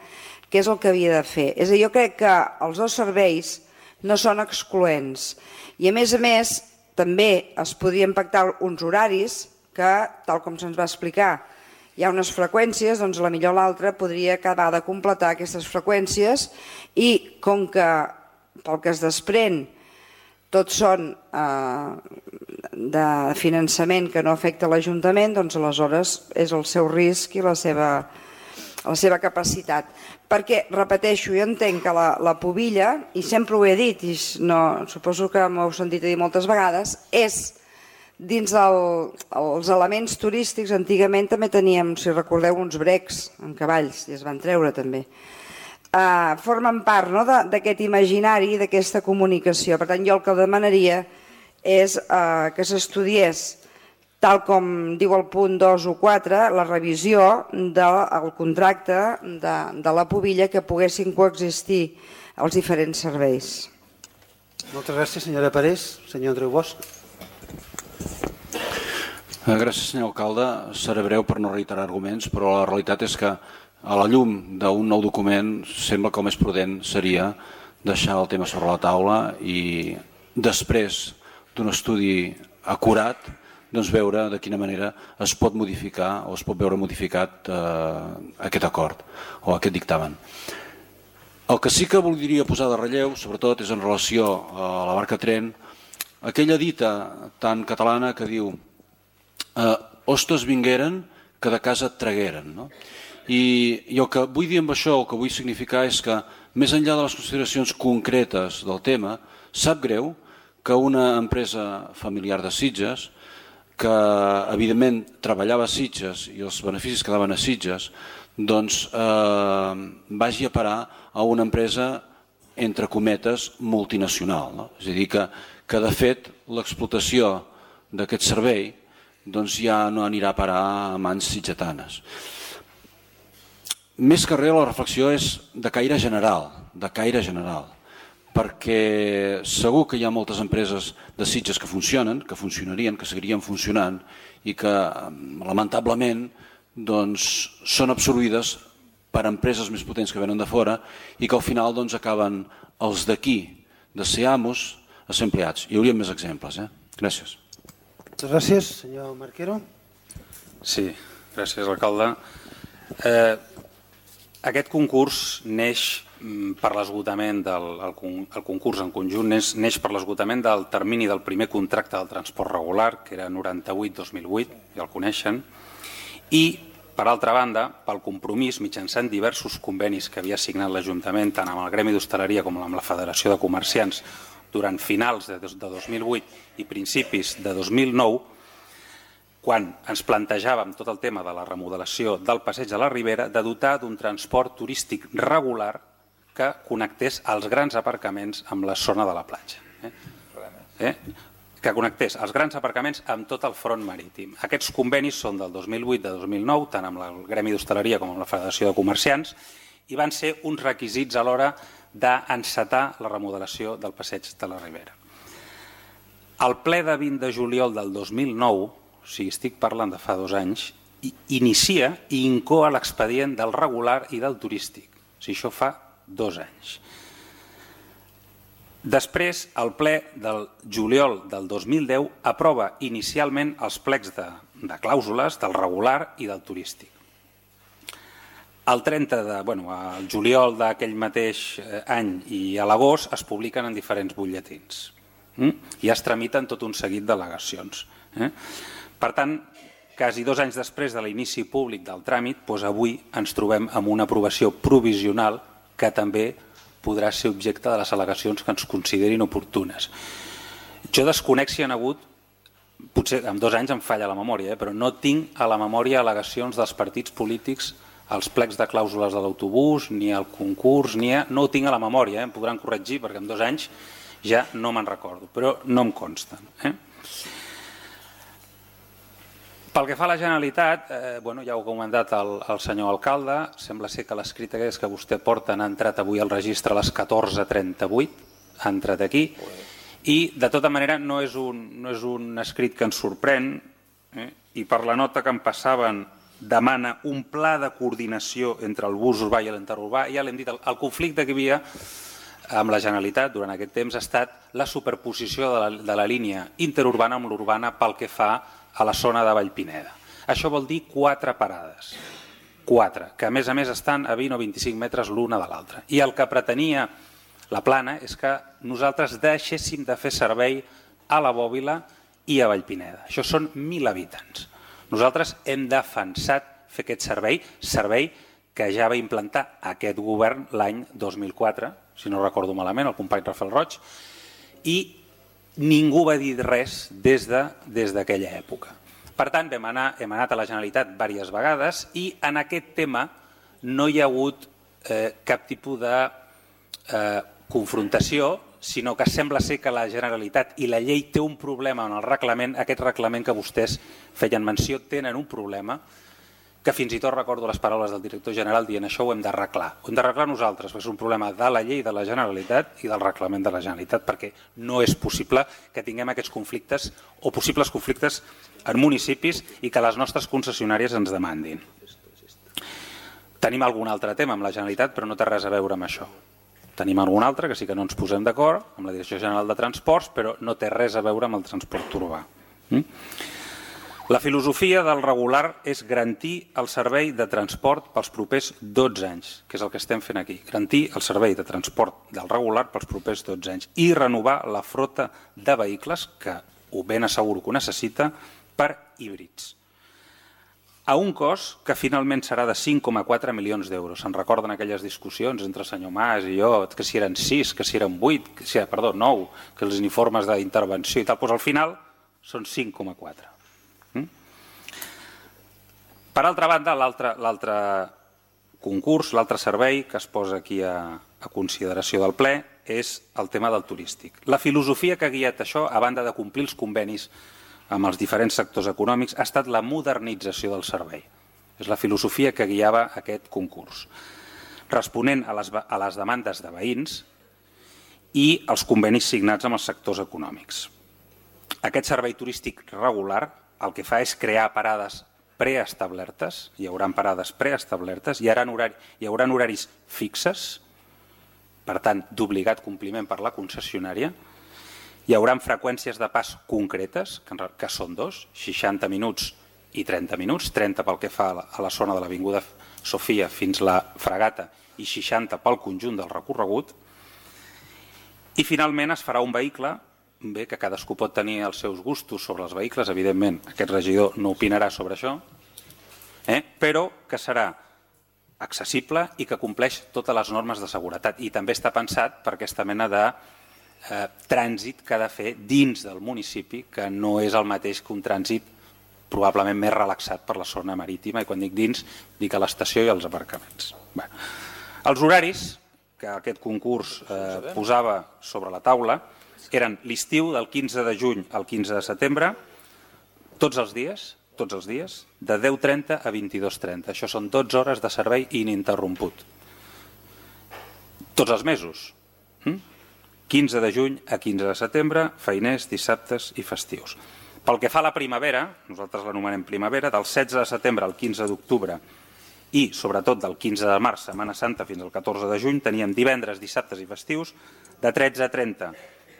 que és el que havia de fer. És a dir, jo crec que els dos serveis no són excloents. I a més, també es podrien pactar uns horaris que, tal com se'ns va explicar, hi ha unes freqüències, doncs potser l'altre podria acabar de completar aquestes freqüències i com que pel que es desprèn tots són de finançament que no afecta l'Ajuntament, doncs aleshores és el seu risc i la seva capacitat. Perquè, repeteixo, jo entenc que la pubilla, i sempre ho he dit, i suposo que m'ho heu sentit dir moltes vegades, és dins els elements turístics. Antigament també teníem, si recordeu, uns brecs amb cavalls, i es van treure també. Formen part d'aquest imaginari, d'aquesta comunicació. Per tant, jo el que demanaria és que s'estudiés, tal com diu el punt 2 o 4, la revisió del contracte de la pubilla, que poguessin coexistir els diferents serveis.
Moltes gràcies, senyora Parés. Senyor Andreu Bosch.
Gràcies, senyor alcalde. Seré breu per no reiterar arguments, però la realitat és que a la llum d'un nou document sembla que el més prudent seria deixar el tema sobre la taula i després d'un estudi acurat doncs veure de quina manera es pot modificar o es pot veure modificat aquest acord o aquest dictamen. El que sí que voldria posar de relleu, sobretot, és en relació a la barca tren, aquella dita tan catalana que diu «Hostes vingueren que de casa et tragueren». I el que vull dir amb això, el que vull significar és que, més enllà de les consideracions concretes del tema, sap greu que una empresa familiar de Sitges, que evidentment treballava a Sitges i els beneficis quedaven a Sitges, doncs vagi a parar a una empresa, entre cometes, multinacional. És a dir, que de fet l'explotació d'aquest servei ja no anirà a parar a mans sitgetanes. Més que res, la reflexió és de caire general, perquè segur que hi ha moltes empreses de Sitges que funcionen, que funcionarien, que seguirien funcionant i que lamentablement són absorbides per empreses més potents que venen de fora i que al final acaben els d'aquí de ser amos a ser empleats. Hi hauria més exemples. Gràcies.
Moltes gràcies. Senyor Marquero.
Sí, gràcies, alcalde. Aquest concurs neix per l'esgotament del concurs en conjunt, neix per l'esgotament del termini del primer contracte del transport regular, que era 98-2008, ja el coneixen, i, per altra banda, pel compromís mitjançant diversos convenis que havia signat l'Ajuntament, tant amb el Gremi d'Hostaleria com amb la Federació de Comerciants, durant finals de 2008 i principis de 2009, quan ens plantejàvem tot el tema de la remodelació del passeig de la Ribera, de dotar d'un transport turístic regular que connectés els grans aparcaments amb la zona de la platja. Que connectés els grans aparcaments amb tot el front marítim. Aquests convenis són del 2008 de 2009, tant amb el Gremi d'Hostaleria com amb la Federació de Comerciants, i van ser uns requisits a l'hora d'encetar la remodelació del passeig de la Ribera. El ple de 20 de juliol del 2009, o sigui, estic parlant de fa 2 anys, inicia i incoa l'expedient del regular i del turístic. O sigui, això fa 2 anys. Després, el ple del juliol del 2010 aprova inicialment els plecs de clàusules del regular i del turístic. El juliol d'aquell mateix any i a l'agost es publiquen en diferents butlletins i es tramiten tot un seguit d'al·legacions. Per tant, quasi 2 anys després de l'inici públic del tràmit, avui ens trobem amb una aprovació provisional que també podrà ser objecte de les al·legacions que ens considerin oportunes. Jo desconec si hi ha hagut, potser en 2 anys em falla la memòria, però no tinc a la memòria al·legacions dels partits polítics als plecs de clàusules de l'autobús, ni al concurs, no ho tinc a la memòria, em podran corregir perquè en 2 anys ja no me'n recordo, però no em consten. Pel que fa a la Generalitat, ja ho ha comentat el senyor alcalde, sembla ser que l'escrit que vostè porta ha entrat avui al registre a les 14:38, ha entrat aquí, i de tota manera no és un escrit que ens sorprèn, i per la nota que em passaven demana un pla de coordinació entre el bus urbà i l'interurbà. Ja l'hem dit, el conflicte que hi havia amb la Generalitat durant aquest temps ha estat la superposició de la línia interurbana amb l'urbana pel que fa a la zona de Vallpineda. Això vol dir 4 parades, 4, que a més estan a 20 o 25 metres l'una de l'altra. I el que pretenia la plana és que nosaltres deixéssim de fer servei a la Bòbila i a Vallpineda. Això són 1.000 habitants. Nosaltres hem defensat fer aquest servei que ja va implantar aquest govern l'any 2004, si no recordo malament, el company Rafael Roig, i ningú va dir res des d'aquella època. Per tant, hem anat a la Generalitat diverses vegades i en aquest tema no hi ha hagut cap tipus de confrontació, sinó que sembla ser que la Generalitat i la llei té un problema en el reglament, aquest reglament que vostès feien menció, tenen un problema que fins i tot recordo les paraules del director general dient això ho hem d'arreglar. Ho hem d'arreglar nosaltres, perquè és un problema de la llei de la Generalitat i del reglament de la Generalitat, perquè no és possible que tinguem aquests conflictes o possibles conflictes en municipis i que les nostres concessionàries ens demandin. Tenim algun altre tema amb la Generalitat, però no té res a veure amb això. Tenim algun altre que sí que no ens posem d'acord amb la Direcció General de Transports, però no té res a veure amb el transport urbà. La filosofia del regular és garantir el servei de transport pels propers 12 anys, que és el que estem fent aquí. Garantir el servei de transport del regular pels propers 12 anys i renovar la flota de vehicles, que ho ben asseguro que ho necessita, per híbrids. A un cost que finalment serà de 5,4 milions d'euros. Se'n recorden aquelles discussions entre el senyor Mas i jo, que si eren 6, que si eren 8, perdó, 9, que els informes d'intervenció i tal, doncs al final són 5,4. Per altra banda, l'altre concurs, l'altre servei que es posa aquí a consideració del ple és el tema del turístic. La filosofia que ha guiat això, a banda de complir els convenis amb els diferents sectors econòmics, ha estat la modernització del servei. És la filosofia que guiava aquest concurs, responent a les demandes de veïns i els convenis signats amb els sectors econòmics. Aquest servei turístic regular el que fa és crear parades preestablertes, hi haurà parades preestablertes, hi haurà horaris fixes, per tant, d'obligat compliment per la concessionària, hi haurà freqüències de pas concretes, que són 2, 60 minuts i 30 minuts, 30 pel que fa a la zona de l'Avinguda Sofia fins la Fragata i 60 pel conjunt del recorregut, i finalment es farà un vehicle, bé, que cadascú pot tenir els seus gustos sobre els vehicles, evidentment aquest regidor no opinarà sobre això, però que serà accessible i que compleix totes les normes de seguretat i també està pensat per aquesta mena de trànsit que ha de fer dins del municipi, que no és el mateix que un trànsit probablement més relaxat per la zona marítima, i quan dic dins, dic a l'estació i als aparcaments. Els horaris que aquest concurs posava sobre la taula eren l'estiu del 15 de juny al 15 de setembre, tots els dies, de 10:30 a 22:30. Això són 12 hores de servei ininterromput. Tots els mesos. 15 de juny a 15 de setembre, feiners, dissabtes i festius. Pel que fa a la primavera, nosaltres l'anomenem primavera, del 16 de setembre al 15 d'octubre i, sobretot, del 15 de març, Setmana Santa, fins al 14 de juny, teníem divendres, dissabtes i festius de 13:30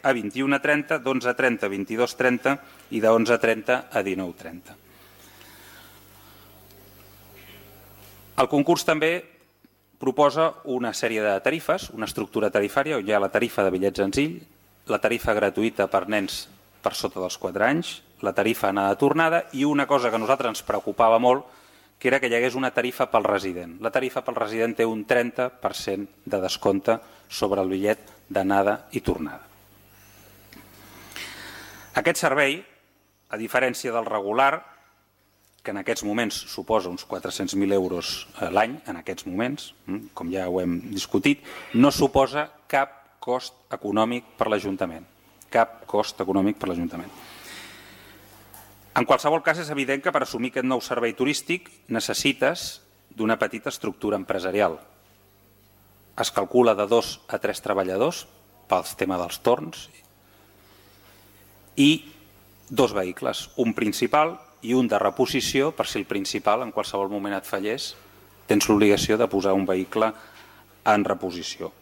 a 21:30, d'11:30 a 22:30 i de 11:30 a 19:30. El concurs també proposa una sèrie de tarifes, una estructura tarifària on hi ha la tarifa de bitllet senzill, la tarifa gratuïta per nens per sota dels 4 anys, la tarifa anada-tornada i una cosa que a nosaltres ens preocupava molt, que era que hi hagués una tarifa pel resident. La tarifa pel resident té un 30% de descompte sobre el bitllet d'anada i tornada. Aquest servei, a diferència del regular, que en aquests moments suposa uns 400.000 euros l'any, en aquests moments, com ja ho hem discutit, no suposa cap cost econòmic per l'Ajuntament. Cap cost econòmic per l'Ajuntament. En qualsevol cas, és evident que per assumir aquest nou servei turístic necessites d'una petita estructura empresarial. Es calcula de 2 a 3 treballadors pel tema dels torns i 2 vehicles, un principal i un de reposició, per si el principal en qualsevol moment et fallés, tens l'obligació de posar un vehicle en reposició.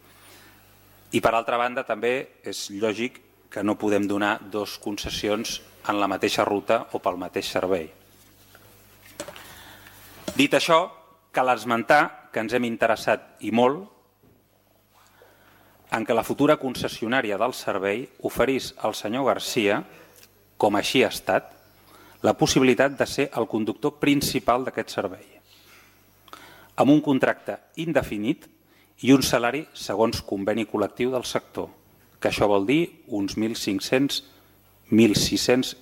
I per altra banda també és lògic que no podem donar 2 concessions en la mateixa ruta o pel mateix servei. Dit això, cal esmentar que ens hem interessat i molt en que la futura concessionària del servei oferís al senyor Garcia, com així ha estat, la possibilitat de ser el conductor principal d'aquest servei, amb un contracte indefinit i un salari segons conveni col·lectiu del sector, que això vol dir uns 1.600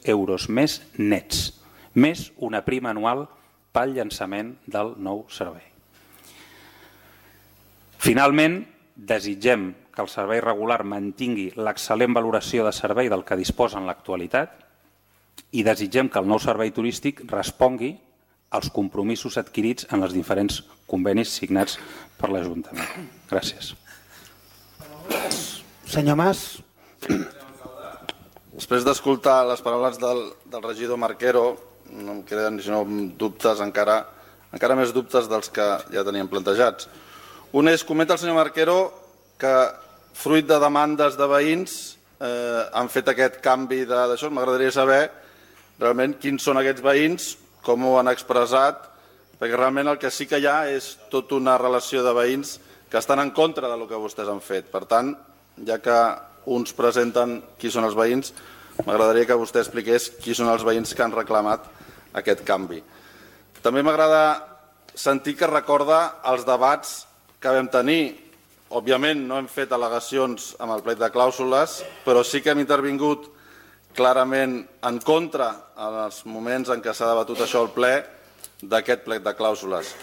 euros més nets, més una prima anual pel llançament del nou servei. Finalment, desitgem que el servei regular mantingui l'excel·lent valoració de servei del que disposa en l'actualitat i desitgem que el nou servei turístic respongui als compromisos adquirits en els diferents convenis signats per l'Ajuntament. Gràcies.
Senyor Mas.
Després d'escoltar les paraules del regidor Marquero, no em queden sinó dubtes, encara més dubtes dels que ja teníem plantejats. Un és, comenta el senyor Marquero que fruit de demandes de veïns han fet aquest canvi d'això. M'agradaria saber realment quins són aquests veïns, com ho han expressat, perquè realment el que sí que hi ha és tota una relació de veïns que estan en contra del que vostès han fet. Per tant, ja que uns presenten qui són els veïns, m'agradaria que vostè expliqués qui són els veïns que han reclamat aquest canvi. També m'agrada sentir que recorda els debats que vam tenir. Òbviament no hem fet al·legacions amb el plec de clàusules, però sí que hem intervingut clarament en contra en els moments en què s'ha debatut això al ple d'aquest plec de clàusules.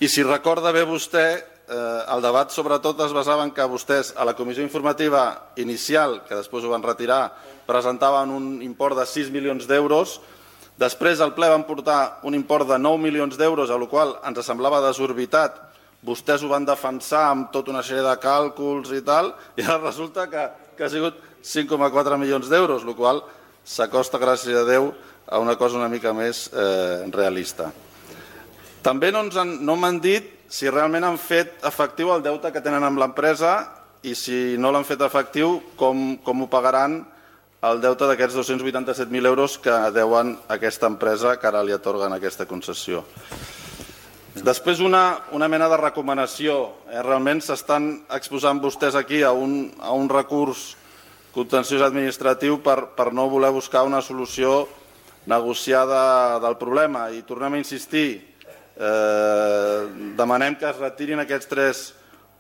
I si recorda bé vostè, el debat sobretot es basava en que vostès a la comissió informativa inicial, que després ho van retirar, presentaven un import de 6 milions d'euros. Després al ple van portar un import de 9 milions d'euros, a la qual ens semblava desorbitat. Vostès ho van defensar amb tota una sèrie de càlculs i tal, i ara resulta que ha sigut 5,4 milions d'euros, la qual s'acosta, gràcies a Déu, a una cosa una mica més realista. També no m'han dit si realment han fet efectiu el deute que tenen amb l'empresa i si no l'han fet efectiu, com ho pagaran el deute d'aquests 287.000 euros que deuen a aquesta empresa que ara li atorguen aquesta concessió. Després una mena de recomanació. Realment s'estan exposant vostès aquí a un recurs contenciós administratiu per no voler buscar una solució negociada del problema. I tornem a insistir, demanem que es retirin aquests 3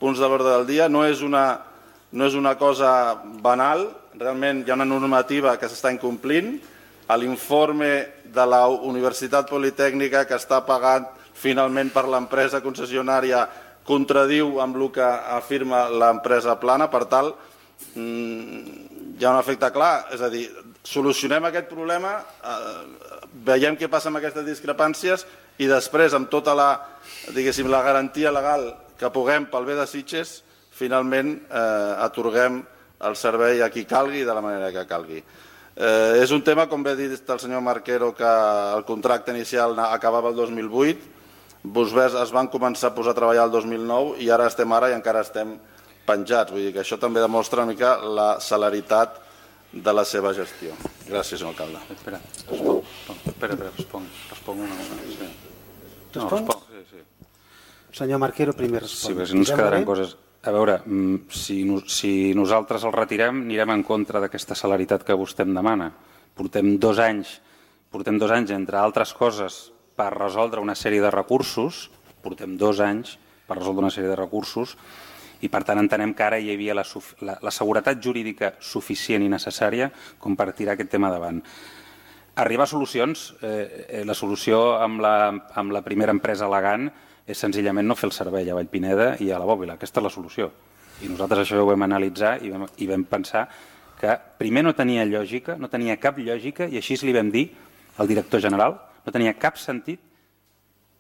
punts de l'ordre del dia. No és una cosa banal, realment hi ha una normativa que s'està incomplint l'informe de la Universitat Politècnica que està pagat finalment per l'empresa concessionària contradiu amb el que afirma l'empresa Plana, per tal, hi ha un efecte clar, és a dir, solucionem aquest problema, veiem què passa amb aquestes discrepàncies i després, amb tota la garantia legal que puguem pel bé de Sitges, finalment atorguem el servei a qui calgui i de la manera que calgui. És un tema, com bé ha dit el senyor Marquero, que el contracte inicial acabava el 2008, Busbès es van començar a posar a treballar el 2009 i ara estem i encara estem penjats. Vull dir que això també demostra una mica la celeritat de la seva gestió. Gràcies, senyor alcalde.
Espera, responc una cosa.
Responc?
Sí.
Senyor Marquero, primer respon.
Sí, perquè no ens quedaran coses... A veure, si nosaltres el retirem, anirem en contra d'aquesta celeritat que vostè em demana. Portem 2 anys, entre altres coses, per resoldre una sèrie de recursos, i per tant entenem que ara hi havia la seguretat jurídica suficient i necessària com per tirar aquest tema davant. Arribar a solucions, la solució amb la primera empresa Elegant és senzillament no fer el servei a Vallpineda i a la Bòbila. Aquesta és la solució. I nosaltres això ho vam analitzar i vam pensar que primer no tenia lògica, no tenia cap lògica, i així li vam dir al director general, no tenia cap sentit,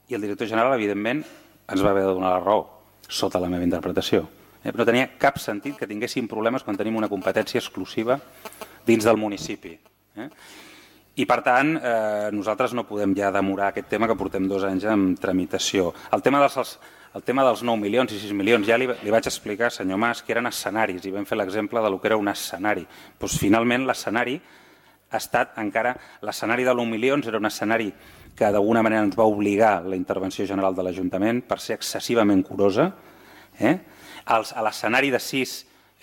i el director general, evidentment, ens va haver de donar la raó, sota la meva interpretació. No tenia cap sentit que tinguéssim problemes quan tenim una competència exclusiva dins del municipi. I, per tant, nosaltres no podem ja demorar aquest tema que portem 2 anys en tramitació. El tema dels 9 milions i 6 milions, ja li vaig explicar, senyor Mas, que eren escenaris, i vam fer l'exemple del que era un escenari. Finalment, l'escenari ha estat encara... L'escenari de 1 milions era un escenari que d'alguna manera ens va obligar la intervenció general de l'Ajuntament per ser excessivament curosa. L'escenari de 6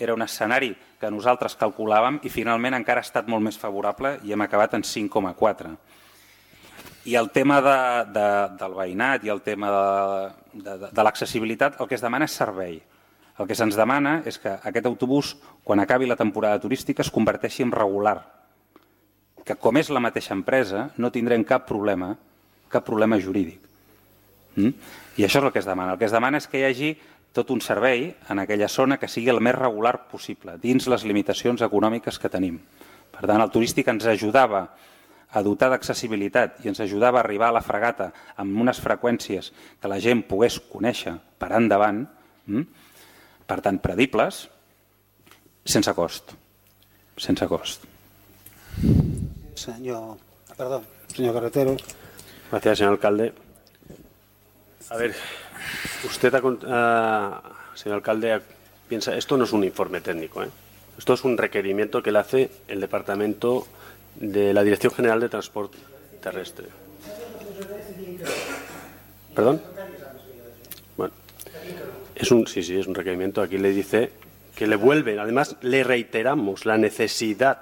era un escenari que nosaltres calculàvem i finalment encara ha estat molt més favorable i hem acabat en 5,4. I el tema del veïnat i el tema de l'accessibilitat, el que es demana és servei. El que se'ns demana és que aquest autobús, quan acabi la temporada turística, es converteixi en regular. Que com és la mateixa empresa, no tindrem cap problema jurídic. I això és el que es demana. El que es demana és que hi hagi tot un servei en aquella zona que sigui el més regular possible, dins les limitacions econòmiques que tenim. Per tant, el turístic ens ajudava a dotar d'accessibilitat i ens ajudava a arribar a la fregata amb unes freqüències que la gent pogués conèixer per endavant, per tant, predibles, sense cost. Sense cost.
Señor Carretero.
Gracias, señor alcalde. A ver, usted, señor alcalde, piensa, esto no es un informe técnico, esto es un requerimiento que le hace el Departamento de la Dirección General de Transporte Terrestre. ¿Perdón? Bueno, es un requerimiento. Aquí le dice que le vuelven, además le reiteramos la necesidad,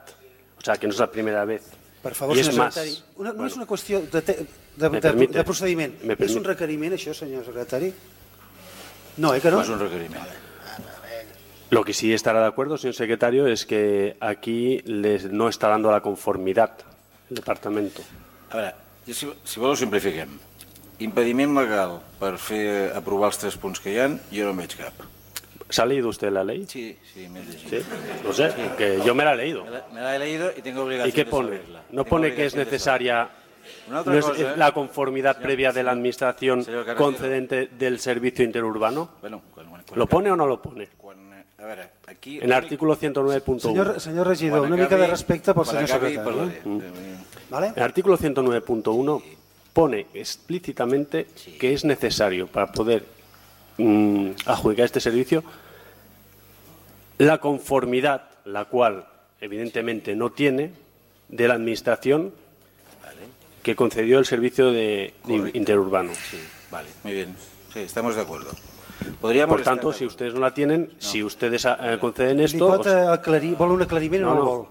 o sea, que no es la primera vez.
Per favor, senyor secretari, no és una qüestió de procediment. És un requeriment, això, senyor secretari? No, que no?
No és un requeriment.
Lo que sí estará de acuerdo, señor secretario, es que aquí no está dando la conformidad el departamento.
A veure, si vol ho simplifiquem. Impediment legal per fer aprovar els 3 punts que hi ha, jo no en veig cap.
¿Se ha leído usted la ley?
Sí, me he leído.
¿Sí? No sé, que yo me la he leído.
Me la he leído y tengo obligación.
¿Y qué pone? ¿No pone que es necesaria la conformidad previa de la administración concedente del servicio interurbano? ¿Lo pone o no lo pone?
A veure, aquí...
En el artículo 109.1.
Senyor regidor, una mica de respecte pel senyor secretari.
En el artículo 109.1 pone explícitamente que es necesario para poder adjudicar este servicio la conformidad, la cual evidentemente no tiene, de la administración que concedió el servicio de interurbano.
Sí, vale, muy bien. Sí, estamos de acuerdo.
Por tanto, si ustedes no la tienen, si ustedes conceden esto...
¿Vol un aclariment o no vol?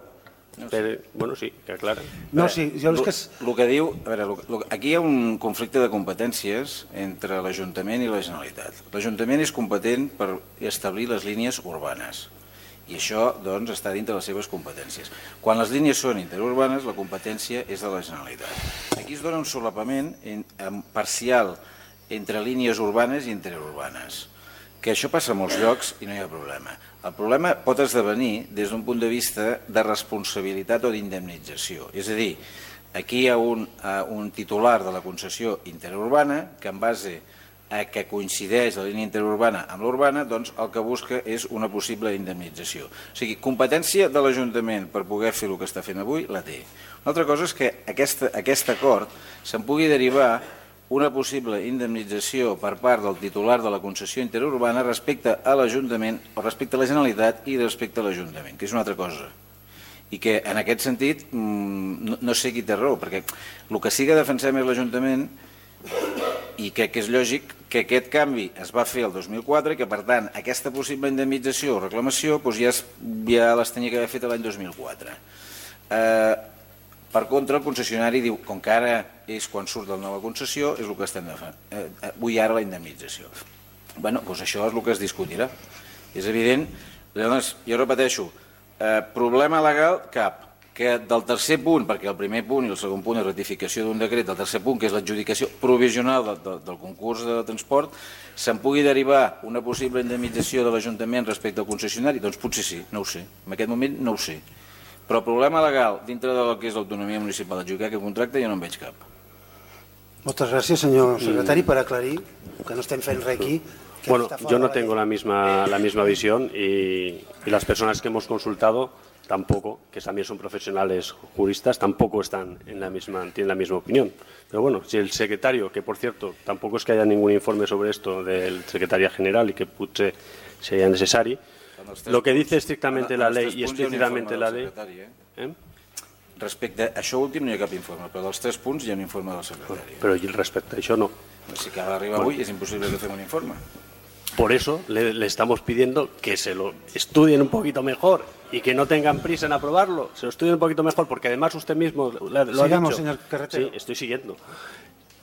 Bueno, sí, que aclara.
No, sí, el que diu... A veure, aquí hi ha un conflicte de competències entre l'Ajuntament i la Generalitat. L'Ajuntament és competent per establir les línies urbanes
I això doncs, està dintre de les seves competències. Quan les línies són interurbanes, la competència és de la Generalitat. Aquí es dona un solapament parcial entre línies urbanes i interurbanes, que això passa a molts llocs i no hi ha problema. El problema pot esdevenir des d'un punt de vista de responsabilitat o d'indemnització. És a dir, aquí hi ha un titular de la concessió interurbana que en base a que coincideix la línia interurbana amb l'urbana, doncs el que busca és una possible indemnització. O sigui, competència de l'Ajuntament per poder fer el que està fent avui, la té. Una altra cosa és que aquest acord se'n pugui derivar una possible indemnització per part del titular de la concessió interurbana respecte a l'Ajuntament, o respecte a la Generalitat i respecte a l'Ajuntament, que és una altra cosa. I que en aquest sentit no sé qui té raó, perquè el que sí que defensem és l'Ajuntament i crec que és lògic que aquest canvi es va fer el 2004 i que per tant aquesta possible indemnització o reclamació ja les tenia que haver fet l'any 2004. Per contra, el concessionari diu, com que ara és quan surt de la nova concessió, és el que estem defensant. Vull ara la indemnització. Bé, doncs això és el que es discutirà. És evident, llavors, jo repeteixo, problema legal cap, que del tercer punt, perquè el primer punt i el segon punt és ratificació d'un decret, del tercer punt, que és l'adjudicació provisional del concurs de transport, se'n pugui derivar una possible indemnització de l'Ajuntament respecte al concessionari? Doncs potser sí, no ho sé. En aquest moment no ho sé. Però problema legal dintre del que és l'autonomia municipal d'adjudicar aquest contracte jo no en veig cap.
Moltes gràcies, senyor secretari, per aclarir que no estem fent res aquí.
Bueno, yo no tengo la misma visión y las personas que hemos consultado tampoco, que también son profesionales juristas, tampoco tienen la misma opinión. Pero bueno, si el secretario, que por cierto, tampoco es que haya ningún informe sobre esto del secretario general y que potser sería necesario, lo que dice estrictamente la ley y explícitamente la ley...
Respecte a això últim no hi ha cap informe, però dels 3 punts hi ha un informe del secretari.
Però respecte a això no.
Si acaba d'arribar avui és imposible que fem un informe.
Por eso le estamos pidiendo que se lo estudien un poquito mejor y que no tengan prisa en aprobarlo. Se lo estudien un poquito mejor, porque además usted mismo lo ha dicho.
Señor Carretero.
Sí, estoy siguiendo.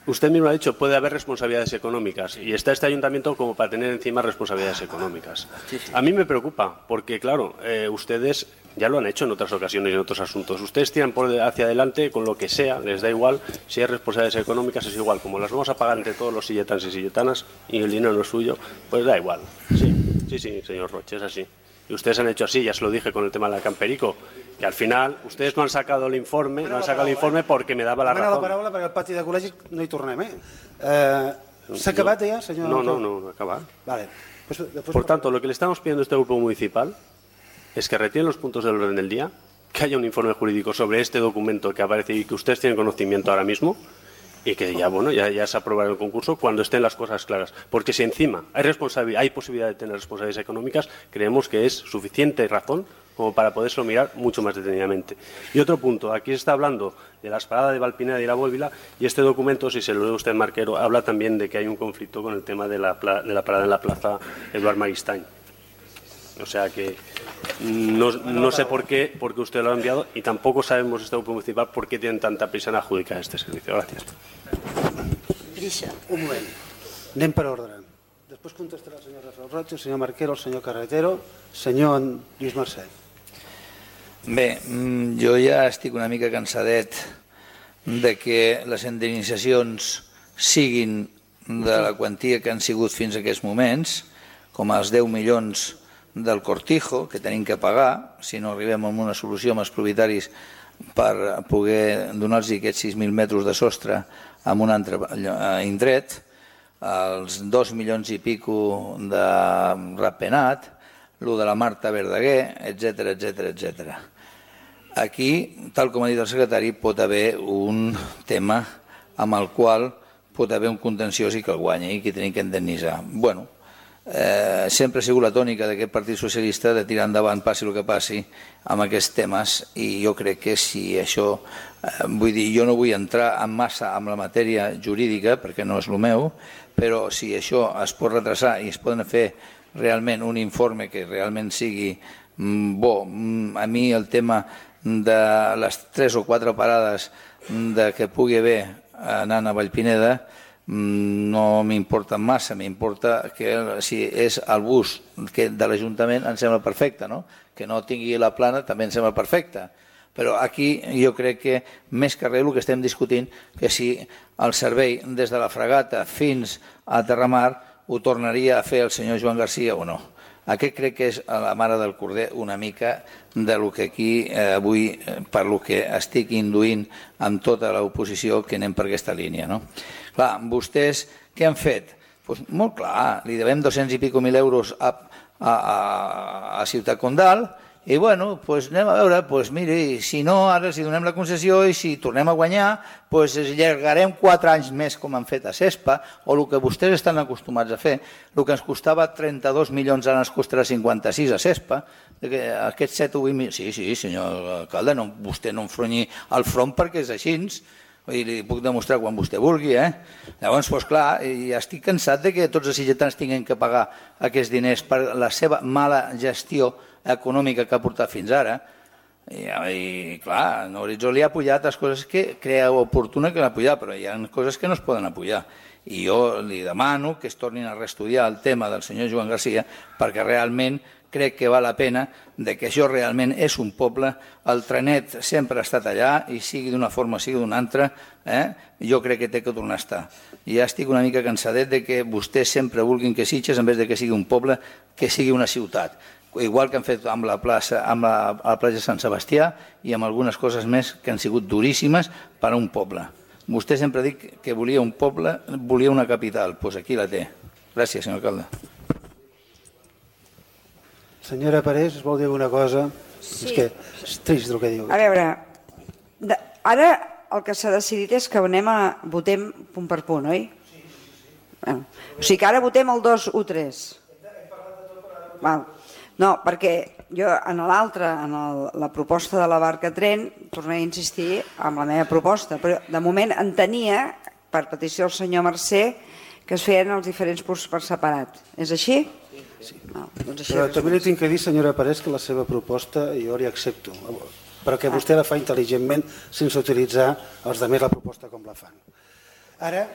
Usted mismo ha dicho, puede haber responsabilidades económicas y está este ayuntamiento como para tener encima responsabilidades económicas. A mí me preocupa porque, claro, ustedes ya lo han hecho en otras ocasiones y en otros asuntos. Ustedes tiran hacia adelante con lo que sea, les da igual, si hay responsabilidades económicas es igual, como las vamos a pagar entre todos los silletanos y silletanas y el dinero no es suyo, pues da igual. Sí, señor Roche, es así. Y ustedes han hecho así, ya se lo dije con el tema de la Camperico, que al final ustedes no han sacado el informe, porque me daba la razón.
La paraula perquè al pati de col·legis no hi tornem, ¿S'ha acabat ja, senyor?
No, acaba.
Vale.
Por tanto, lo que le estamos pidiendo a este grupo municipal es que retiren los puntos del orden del día, que haya un informe jurídico sobre este documento que aparece y que ustedes tienen conocimiento ahora mismo, y que ya se aprobará el concurso cuando estén las cosas claras. Porque si encima hay posibilidad de tener responsabilidades económicas, creemos que es suficiente razón como para poderlo mirar mucho más detenidamente. Y otro punto, aquí se está hablando de las paradas de Valpineda y la Bóvila, y este documento, si se lo lee usted, Marquero, habla también de que hay un conflicto con el tema de la parada en la plaza Eduard Maristany. O sea que no sé por qué usted lo ha enviado y tampoco sabemos este grupo municipal por qué tienen tanta prisa en adjudicar este servicio. Gracias.
Un moment. Anem per ordre. Després contestarà el senyor Rafael Roig, el senyor Marquero, el senyor Carretero, senyor Lluís Mercè.
Bé, jo ja estic una mica cansadet de que les indemnitzacions siguin de la quantia que han sigut fins a aquests moments, com els 10 milions del Cortijo, que tenim que pagar, si no arribem a una solució amb els propietaris per poder donar-los aquests 6.000 metres de sostre en un altre indret, els 2 milions i pico de Ratpenat, el de la Marta Verdaguer, etc. Aquí, tal com ha dit el secretari, pot haver un tema amb el qual pot haver un contenciós i que el guanya i que tenim que indemnitzar. Bueno, sempre ha sigut la tònica d'aquest Partit Socialista de tirar endavant, passi el que passi, amb aquests temes, i jo crec que si això, vull dir, jo no vull entrar en massa amb la matèria jurídica, perquè no és el meu, però si això es pot retrasar i es poden fer realment un informe que realment sigui bo, a mi el tema de les 3 o 4 parades que pugui haver anant a Vallpineda no m'importa massa, m'importa que si és el bus de l'Ajuntament em sembla perfecte, no? Que no tingui la plana també em sembla perfecte, però aquí jo crec que més que res el que estem discutint que si el servei des de la Fragata fins a Terramar ho tornaria a fer el senyor Joan Garcia o no. Aquest crec que és la mare del corder una mica de lo que aquí avui, per lo que estic induint amb tota l'oposició que anem per aquesta línia. Clar, vostès què han fet? Molt clar, li devem 200 i pico mil euros a Ciutat Condal i bueno, anem a veure, miri, si no, ara si donem la concessió i si tornem a guanyar, allargarem 4 anys més com han fet a CESPA o el que vostès estan acostumats a fer, el que ens costava 32 milions ara ens costarà 56 a CESPA, aquests 7 o 8 milions... Sí, senyor alcalde, vostè no enfronyi el front perquè és així, i li puc demostrar quan vostè vulgui. Llavors, clar, estic cansat que tots els sitgetans tinguin que pagar aquests diners per la seva mala gestió econòmica que ha portat fins ara. I clar, Horitzó li ha apujat les coses que crea oportuna que l'ha apujat, però hi ha coses que no es poden apujar. I jo li demano que es tornin a reestudiar el tema del senyor Joan Garcia perquè realment crec que val la pena que això realment és un poble, el trenet sempre ha estat allà i sigui d'una forma o sigui d'una altra, jo crec que té que tornar a estar. I ja estic una mica cansadet que vostès sempre vulguin que Sitges, en vez de que sigui un poble, que sigui una ciutat. Igual que han fet amb la plaça de Sant Sebastià i amb algunes coses més que han sigut duríssimes per a un poble. Vostè sempre ha dit que volia un poble, volia una capital, doncs aquí la té. Gràcies, senyor alcalde.
Senyora Parés, es vol dir alguna cosa?
Sí.
És que és trist el que diu.
A veure, ara el que s'ha decidit és que votem punt per punt, oi? O sigui que ara votem el 2, 1, 3. No, perquè jo en l'altre, en la proposta de la barca tren, tornaré a insistir en la meva proposta, però de moment entenia, per petició del senyor Mercè, que es feien els diferents punts per separat. És així?
Sí. Però també li tinc que dir, senyora Parés, que la seva proposta jo li accepto, perquè vostè la fa intel·ligentment sense utilitzar els altres la proposta com la fan. Ara,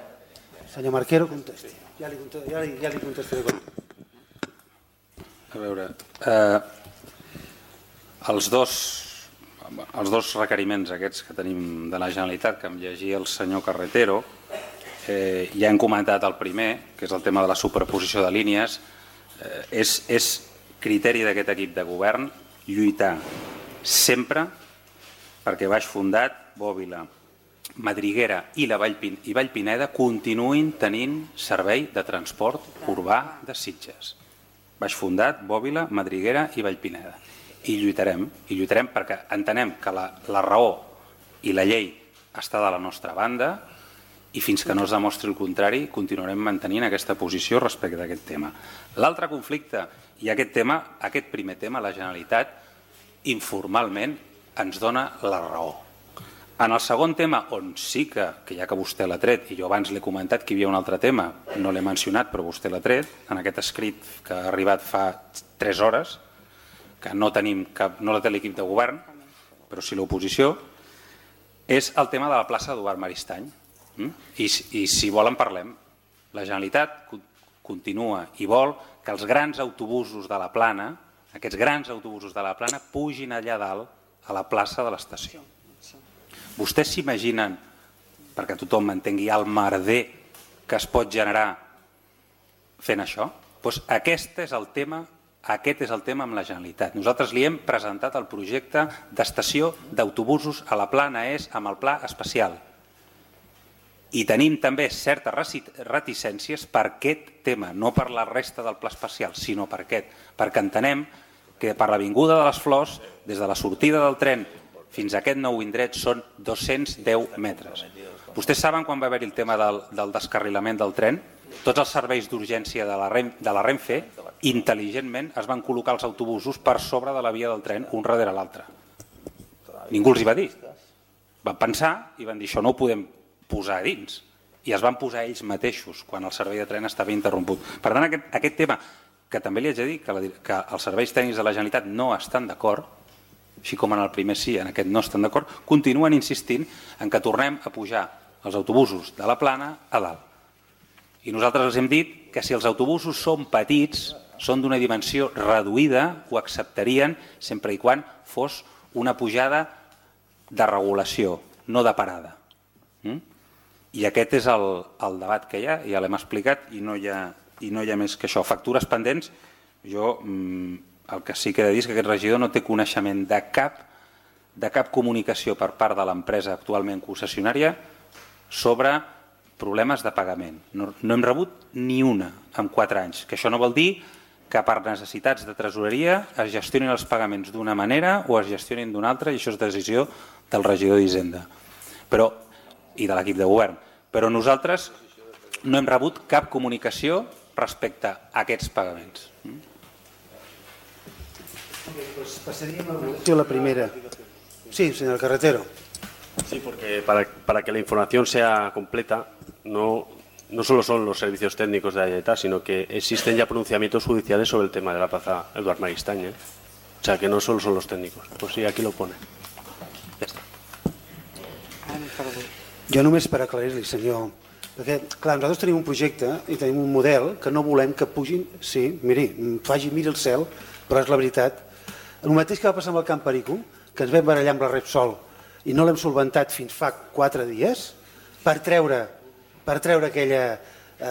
senyor Marquero, contesti. Ja li contestaré.
A veure, els dos requeriments aquests que tenim de la Generalitat, que em llegia el senyor Carretero, ja hem comentat el primer, que és el tema de la superposició de línies. És criteri d'aquest equip de govern lluitar sempre perquè Baix Fundat, Bòbila, Madriguera i Vallpineda continuïn tenint servei de transport urbà de Sitges. Baix Fundat, Bòbila, Madriguera i Vallpineda. I lluitarem perquè entenem que la raó i la llei està de la nostra banda i fins que no es demostri el contrari continuarem mantenint aquesta posició respecte a aquest tema. L'altre conflicte i aquest primer tema, la Generalitat informalment ens dona la raó. En el segon tema, on sí que ja que vostè l'ha tret, i jo abans l'he comentat que hi havia un altre tema, no l'he mencionat però vostè l'ha tret, en aquest escrit que ha arribat fa 3 hores, que no la té l'equip de govern, però sí l'oposició, és el tema de la plaça d'Eduard Maristany. I si volen parlem. La Generalitat continua i vol que els grans autobusos de la Plana, aquests grans autobusos de la Plana, pugin allà dalt a la plaça de l'estació. Vostès s'imaginen, perquè tothom m'entengui, el merder que es pot generar fent això? Doncs aquest és el tema amb la Generalitat. Nosaltres li hem presentat el projecte d'estació d'autobusos a la Plana és amb el pla especial. I tenim també certes reticències per aquest tema, no per la resta del pla especial, sinó per aquest, perquè entenem que per l'Avinguda de les Flors, des de la sortida del tren fins a aquest nou indret són 210 metres. Vostès saben quan va haver-hi el tema del descarrilament del tren? Tots els serveis d'urgència de la Renfe, intel·ligentment, es van col·locar els autobusos per sobre de la via del tren, un darrere l'altre. Ningú els hi va dir. Van pensar i van dir això no ho podem posar a dins, i es van posar ells mateixos quan el servei de tren estava interromput. Per tant, aquest tema, que també li haig de dir que els serveis tècnics de la Generalitat no estan d'acord, així com en el primer sí, en aquest no estan d'acord, continuen insistint en que tornem a pujar els autobusos de la Plana a dalt. I nosaltres els hem dit que si els autobusos són petits, són d'una dimensió reduïda, ho acceptarien sempre i quan fos una pujada de regulació, no de parada. I aquest és el debat que hi ha, ja l'hem explicat i no hi ha més que això. Factures pendents, jo el que sí que he de dir és que aquest regidor no té coneixement de cap comunicació per part de l'empresa actualment concessionària sobre problemes de pagament. No hem rebut ni una en 4 anys, que això no vol dir que per necessitats de tresoreria es gestionin els pagaments d'una manera o es gestionin d'una altra, i això és decisió del regidor d'Hisenda i de l'equip de govern. Però nosaltres no hem rebut cap comunicació respecte a aquests pagaments.
Pasaríem a la primera. Sí, señor Carretero.
Sí, porque para que la información sea completa, no solo son los servicios técnicos de la Generalitat, sino que existen ya pronunciamientos judiciales sobre el tema de la plaza Eduard Maristany. O sea, que no solo son los técnicos. Pues sí, aquí lo pone. Ja està.
Jo només per aclarir-li, senyor, perquè, clar, nosaltres tenim un projecte i tenim un model que no volem que pugin, sí, miri el cel, però és la veritat. El mateix que va passar amb el Camp Perico, que ens vam barallar amb la Repsol i no l'hem solventat fins fa 4 dies, per treure aquella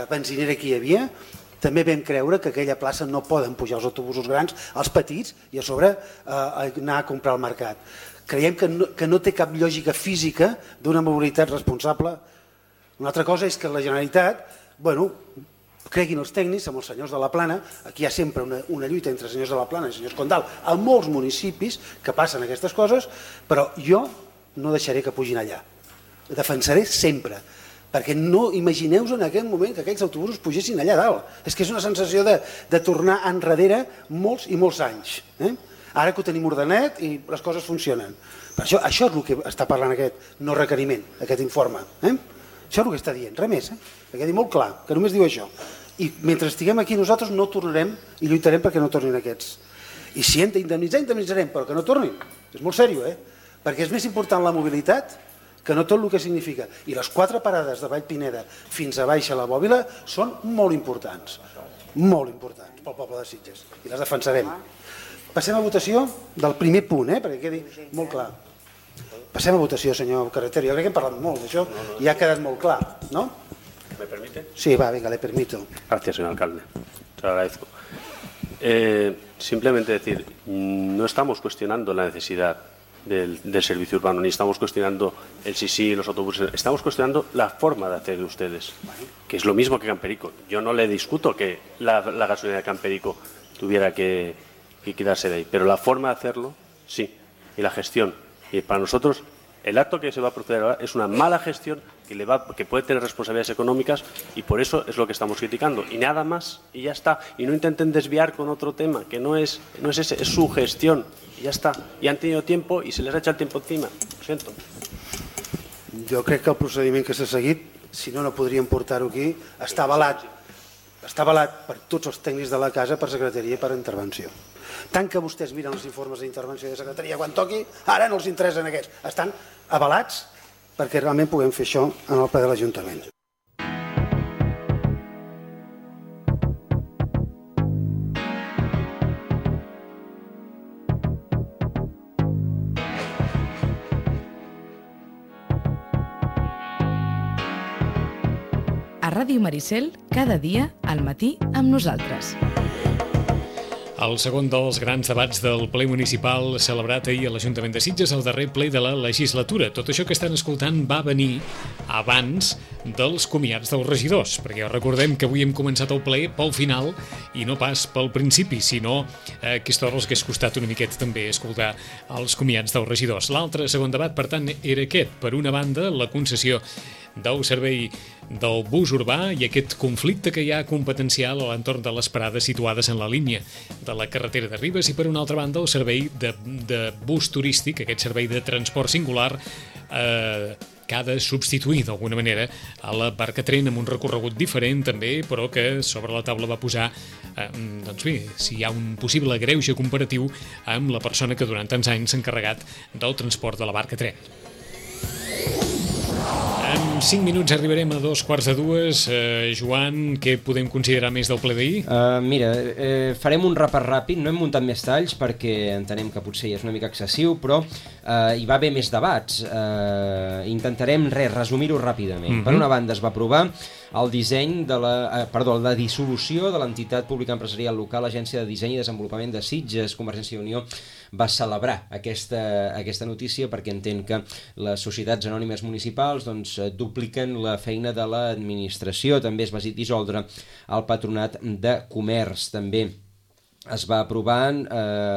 benzinera que hi havia, també vam creure que aquella plaça no poden pujar els autobusos grans, els petits, i a sobre anar a comprar al mercat. Creiem que no té cap lògica física d'una mobilitat responsable. Una altra cosa és que la Generalitat, creguin els tècnics, amb els senyors de la Plana, aquí hi ha sempre una lluita entre senyors de la Plana i senyors Condal, a molts municipis que passen aquestes coses, però jo no deixaré que pugin allà. Defensaré sempre, perquè no imagineu-vos en aquell moment que aquells autobusos pugessin allà dalt. És que és una sensació de tornar enrere molts i molts anys. Ara que ho tenim ordenat i les coses funcionen. Per això és el que està parlant aquest no requeriment, aquest informe. Això és el que està dient, res més. Perquè ha dit molt clar, que només diu això. I mentre estiguem aquí nosaltres no tornarem i lluitarem perquè no tornin aquests. I si hem d'indemnitzar, indemnitzarem, però que no tornin. És molt seriós, perquè és més important la mobilitat que no tot el que significa. I les 4 parades de Vallpineda fins a baix a la Bòbila són molt importants pel poble de Sitges, i les defensarem. Passem a votació del primer punt, perquè quedi molt clar. Passem a votació, senyor Carretero. Jo crec que hem parlat molt d'això i ha quedat molt clar, ¿no?
¿Me permite?
Sí, va, venga, le permito.
Gracias, señor alcalde. Te lo agradezco. Simplemente decir, no estamos cuestionando la necesidad del servicio urbano, ni estamos cuestionando el sí, los autobuses, estamos cuestionando la forma de hacer de ustedes, que es lo mismo que Camperico. Yo no le discuto que la gasolina de Camperico tuviera que quedarse de ahí, pero la forma de hacerlo, sí, y la gestión. Y para nosotros, el acto que se va a proceder ahora es una mala gestión que puede tener responsabilidades económicas, y por eso es lo que estamos criticando. Y nada más, y ya está. Y no intenten desviar con otro tema, que no es ese, es su gestión. Y ya está. Y han tenido tiempo y se les ha echado el tiempo encima. Lo siento.
Jo crec que el procediment que s'ha seguit, si no podríem portar-ho aquí, està avalat per tots els tècnics de la casa, per secretaria i per intervenció. Tant que vostès miren els informes d'intervenció de secretaria quan toqui, ara no els interessen aquests. Estan avalats perquè realment puguem fer això en el ple de l'Ajuntament.
A Ràdio Maricel, cada dia al matí amb nosaltres.
El segon dels grans debats del ple municipal celebrat ahir a l'Ajuntament de Sitges, el darrer ple de la legislatura. Tot això que estan escoltant va venir abans dels comiats dels regidors, perquè recordem que avui hem començat el ple pel final i no pas pel principi, sinó aquesta hora els que hagués costat una miqueta també escoltar els comiats dels regidors. L'altre segon debat, per tant, era aquest. Per una banda, la concessió del servei del bus urbà i aquest conflicte que hi ha competencial a l'entorn de les parades situades en la línia de la carretera de Ribes, i per una altra banda el servei de bus turístic, aquest servei de transport singular que ha de substituir d'alguna manera a la Barcatren amb un recorregut diferent també, però que sobre la taula va posar doncs bé, si hi ha un possible greuge comparatiu amb la persona que durant tants anys s'ha encarregat del transport de la Barcatren. En 5 minuts arribarem a 2:45. Joan, què podem considerar més del ple d'ahir?
Mira, farem un repàs ràpid, no hem muntat més talls perquè entenem que potser és una mica excessiu, però hi va haver més debats. Intentarem resumir-ho ràpidament. Per una banda es va aprovar el disseny de la dissolució de l'entitat pública empresarial local, Agència de Disseny i Desenvolupament de Sitges. Convergència i Unió va celebrar aquesta notícia perquè entén que les societats anònimes municipals dupliquen la feina de l'administració. També es va dissoldre el Patronat de Comerç. També es va aprovar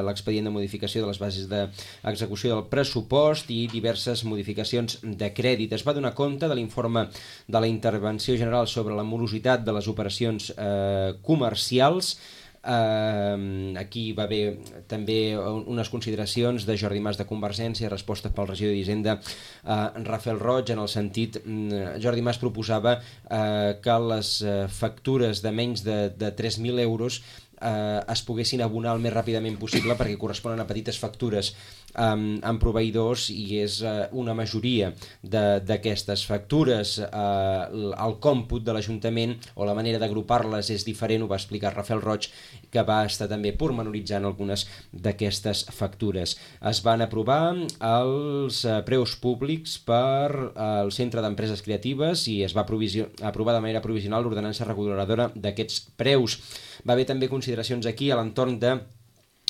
l'expedient de modificació de les bases d'execució del pressupost i diverses modificacions de crèdit. Es va donar compte de l'informe de la Intervenció General sobre la morositat de les operacions comercials. Aquí va haver també unes consideracions de Jordi Mas de Convergència, respostes pel regidor d'Hisenda Rafael Roig, en el sentit, Jordi Mas proposava que les factures de menys de 3.000 euros es poguessin abonar el més ràpidament possible perquè corresponen a petites factures amb proveïdors i és una majoria d'aquestes factures. El còmput de l'Ajuntament o la manera d'agrupar-les és diferent, ho va explicar Rafael Roig, que va estar també pormenoritzant algunes d'aquestes factures. Es van aprovar els preus públics per al Centre d'Empreses Creatives i es va aprovar de manera provisional l'ordenança reguladora d'aquests preus. Va haver també consideracions aquí a l'entorn de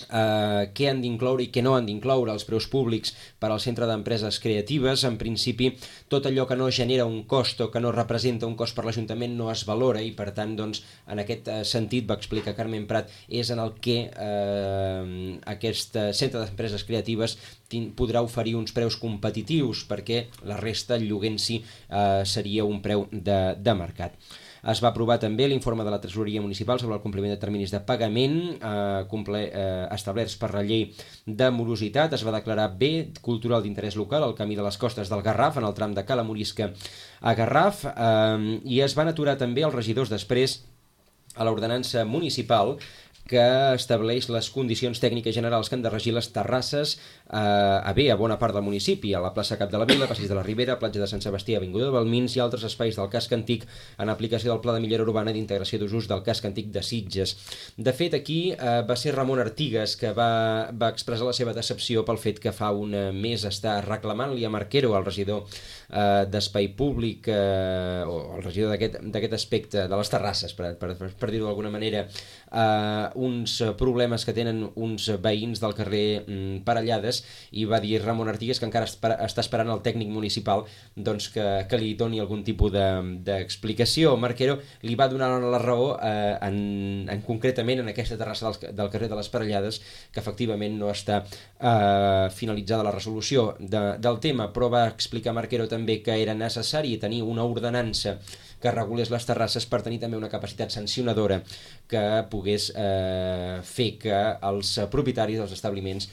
què han d'incloure i què no han d'incloure els preus públics per al Centre d'Empreses Creatives. En principi, tot allò que no genera un cost o que no representa un cost per l'Ajuntament no es valora i, per tant, en aquest sentit, va explicar Carmen Prat, és en el que aquest Centre d'Empreses Creatives podrà oferir uns preus competitius perquè la resta, el lloguer en si, seria un preu de mercat. Es va aprovar també l'informe de la Tresoreria Municipal sobre el compliment de terminis de pagament establerts per la llei de morositat. Es va declarar bé cultural d'interès local el camí de les costes del Garraf en el tram de Cala Morisca a Garraf i es van aturar també els regidors després a l'ordenança municipal que estableix les condicions tècniques generals que han de regir les terrasses a bona part del municipi, a la plaça Cap de la Vila, Passeig de la Ribera, platja de Sant Sebastià, avinguda de Balmins i altres espais del casc antic en aplicació del Pla de Millora Urbana i d'Integració d'Usos del casc antic de Sitges. De fet, aquí va ser Ramon Artigas que va expressar la seva decepció pel fet que fa un mes està reclamant-li a Marquero, el regidor d'Espai Públic, o el regidor d'aquest aspecte, de les terrasses, per dir-ho d'alguna manera, uns problemes que tenen uns veïns del carrer Parellades, i va dir Ramon Artigas que encara està esperant el tècnic municipal que li doni algun tipus d'explicació. Marquero li va donar la raó concretament en aquesta terrassa del carrer de les Parellades, que efectivament no està finalitzada la resolució del tema, però va explicar Marquero també que era necessari tenir una ordenança que regulés les terrasses per tenir també una capacitat sancionadora que pogués fer que els propietaris dels establiments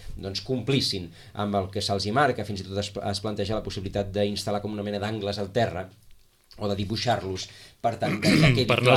complissin amb el que se'ls hi marca. Fins i tot es planteja la possibilitat d'instal·lar com una mena d'angles al terra o de dibuixar-los, per tant, que quedi clar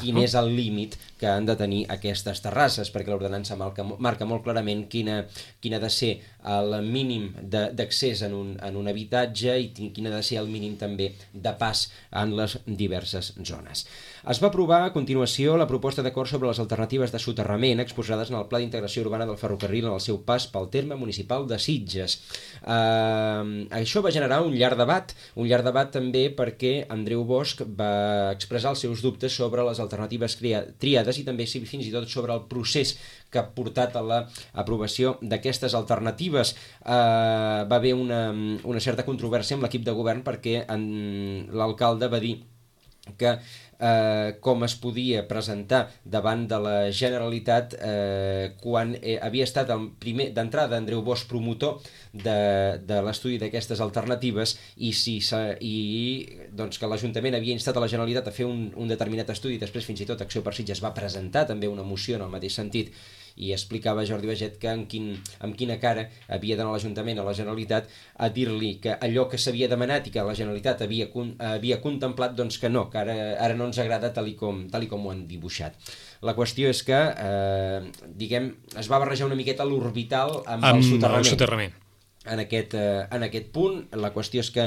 quin és el límit que han de tenir aquestes terrasses, perquè l'ordenança marca molt clarament quin ha de ser el mínim d'accés en un habitatge i quin ha de ser el mínim també de pas en les diverses zones. Es va aprovar a continuació la proposta d'acord sobre les alternatives de soterrament exposades en el Pla d'Integració Urbana del Ferrocarril en el seu pas pel terme municipal de Sitges. Això va generar un llarg debat també perquè Andreu Bosch va expressar els seus dubtes sobre les alternatives triades i també fins i tot sobre el procés que ha portat a l'aprovació d'aquestes alternatives. Va haver una certa controvèrsia amb l'equip de govern perquè l'alcalde va dir que com es podia presentar davant de la Generalitat quan havia estat d'entrada Andreu Bosch promotor de l'estudi d'aquestes alternatives i que l'Ajuntament havia instat a la Generalitat a fer un determinat estudi i després fins i tot Acció per Sitges va presentar també una moció en el mateix sentit i explicava Jordi Baget que amb quina cara havia d'anar l'Ajuntament a la Generalitat a dir-li que allò que s'havia demanat i que la Generalitat havia contemplat, doncs que no, que ara no ens agrada tal com ho han dibuixat. La qüestió és que, es va barrejar una miqueta l'orbital amb el soterrament. en aquest punt. La qüestió és que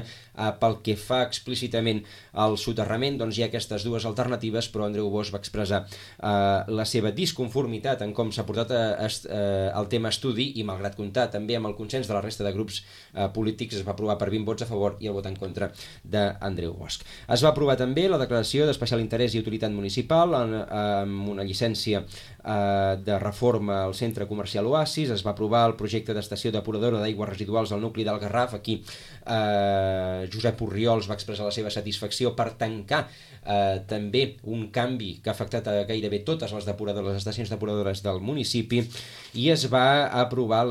pel que fa explícitament al soterrament, doncs hi ha aquestes dues alternatives, però Andreu Bosch va expressar la seva disconformitat en com s'ha portat el tema a estudi i, malgrat comptar també amb el consens de la resta de grups polítics, es va aprovar per 20 vots a favor i el vot en contra d'Andreu Bosch. Es va aprovar també la declaració d'especial interès i utilitat municipal amb una llicència de reforma al centre comercial Oasis. Es va aprovar el projecte d'estació depuradora d'aigües residuals al nucli del Garraf. Aquí Josep Orriols va expressar la seva satisfacció per tancar també un canvi que ha afectat a gairebé totes les estacions depuradores del municipi, i es va aprovar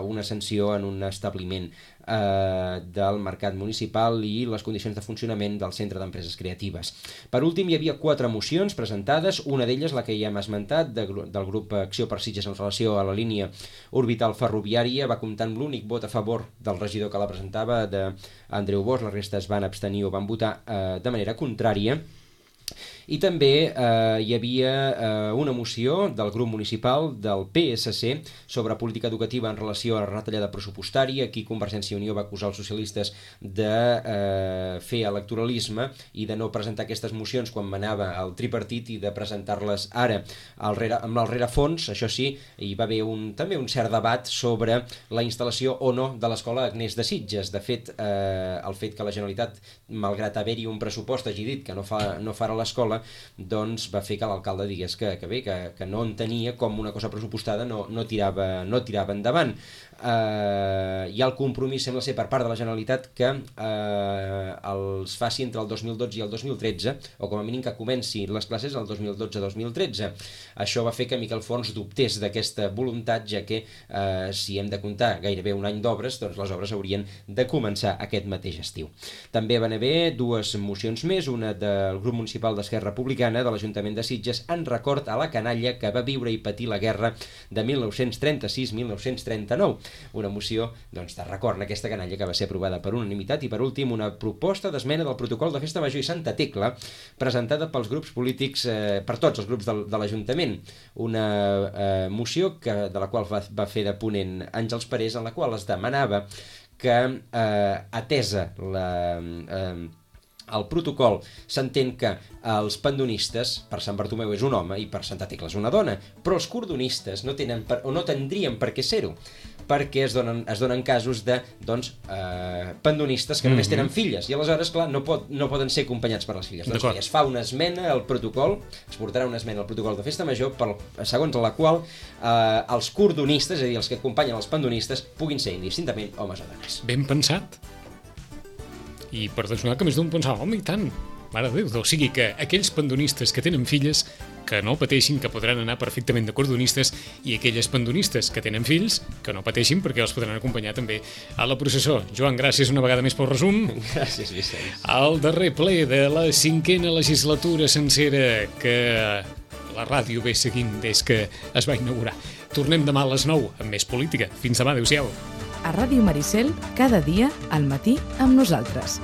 una sanció en un establiment del mercat municipal i les condicions de funcionament del Centre d'Empreses Creatives. Per últim, hi havia 4 mocions presentades, una d'elles, la que ja hem esmentat, del grup Acció per Sitges en relació a la línia orbital ferroviària, va comptar amb l'únic vot a favor del regidor que la presentava, d'Andreu Bosch. La resta es van abstenir o van votar de manera contrària. I també hi havia una moció del grup municipal del PSC sobre política educativa en relació a la retallada pressupostària. Aquí Convergència i Unió va acusar els socialistes de fer electoralisme i de no presentar aquestes mocions quan manava el tripartit i de presentar-les ara amb el rerefons. Això sí, hi va haver també un cert debat sobre la instal·lació o no de l'escola Agnès de Sitges. De fet, el fet que la Generalitat, malgrat haver-hi un pressupost, hagi dit que no farà l'escola, doncs va fer que l'alcalde digués que no entenia com una cosa pressupostada no tirava endavant. Hi ha el compromís, sembla ser, per part de la Generalitat que els faci entre el 2012 i el 2013, o com a mínim que comenci les classes el 2012-2013. Això va fer que Miquel Forns dubtés d'aquesta voluntat, ja que si hem de comptar gairebé un any d'obres, doncs les obres haurien de començar aquest mateix estiu. També van haver 2 mocions més, una del grup municipal d'Esquerra Republicana de l'Ajuntament de Sitges en record a la canalla que va viure i patir la guerra de 1936-1939. Una moció de record a aquesta canalla que va ser aprovada per unanimitat. I per últim, una proposta d'esmena del protocol de Festa Major i Santa Tecla presentada pels grups polítics, per tots els grups de l'Ajuntament. Una moció de la qual va fer de ponent Àngels Parés, en la qual es demanava que, atesa el protocol, s'entén que els pandonistes, per Sant Bartomeu és un home i per Santa Tecla és una dona, però els cordonistes no tindrien per què ser-ho, perquè es donen casos de pandonistes que només tenen filles, i aleshores, clar, no poden ser acompanyats per les filles. Doncs es fa una esmena al protocol, es portarà una esmena al protocol de Festa Major, segons la qual els cordonistes, és a dir, els que acompanyen els pandonistes, puguin ser indistintament homes o dones.
Ben pensat. I per desnonar que més d'un pensava, home, i tant, mare de Déu. O sigui que aquells pandonistes que tenen filles, que no pateixin, que podran anar perfectament de cordonistes, i aquelles pandonistes que tenen fills, que no pateixin perquè els podran acompanyar també a la processó. Joan, gràcies una vegada més pel resum.
Gràcies, Vicenç.
El darrer ple de la 5a legislatura sencera que la ràdio ve seguint des que es va inaugurar. Tornem demà a les 9 amb més política. Fins demà, adéu-siau.
A Ràdio Maricel, cada dia al matí amb nosaltres.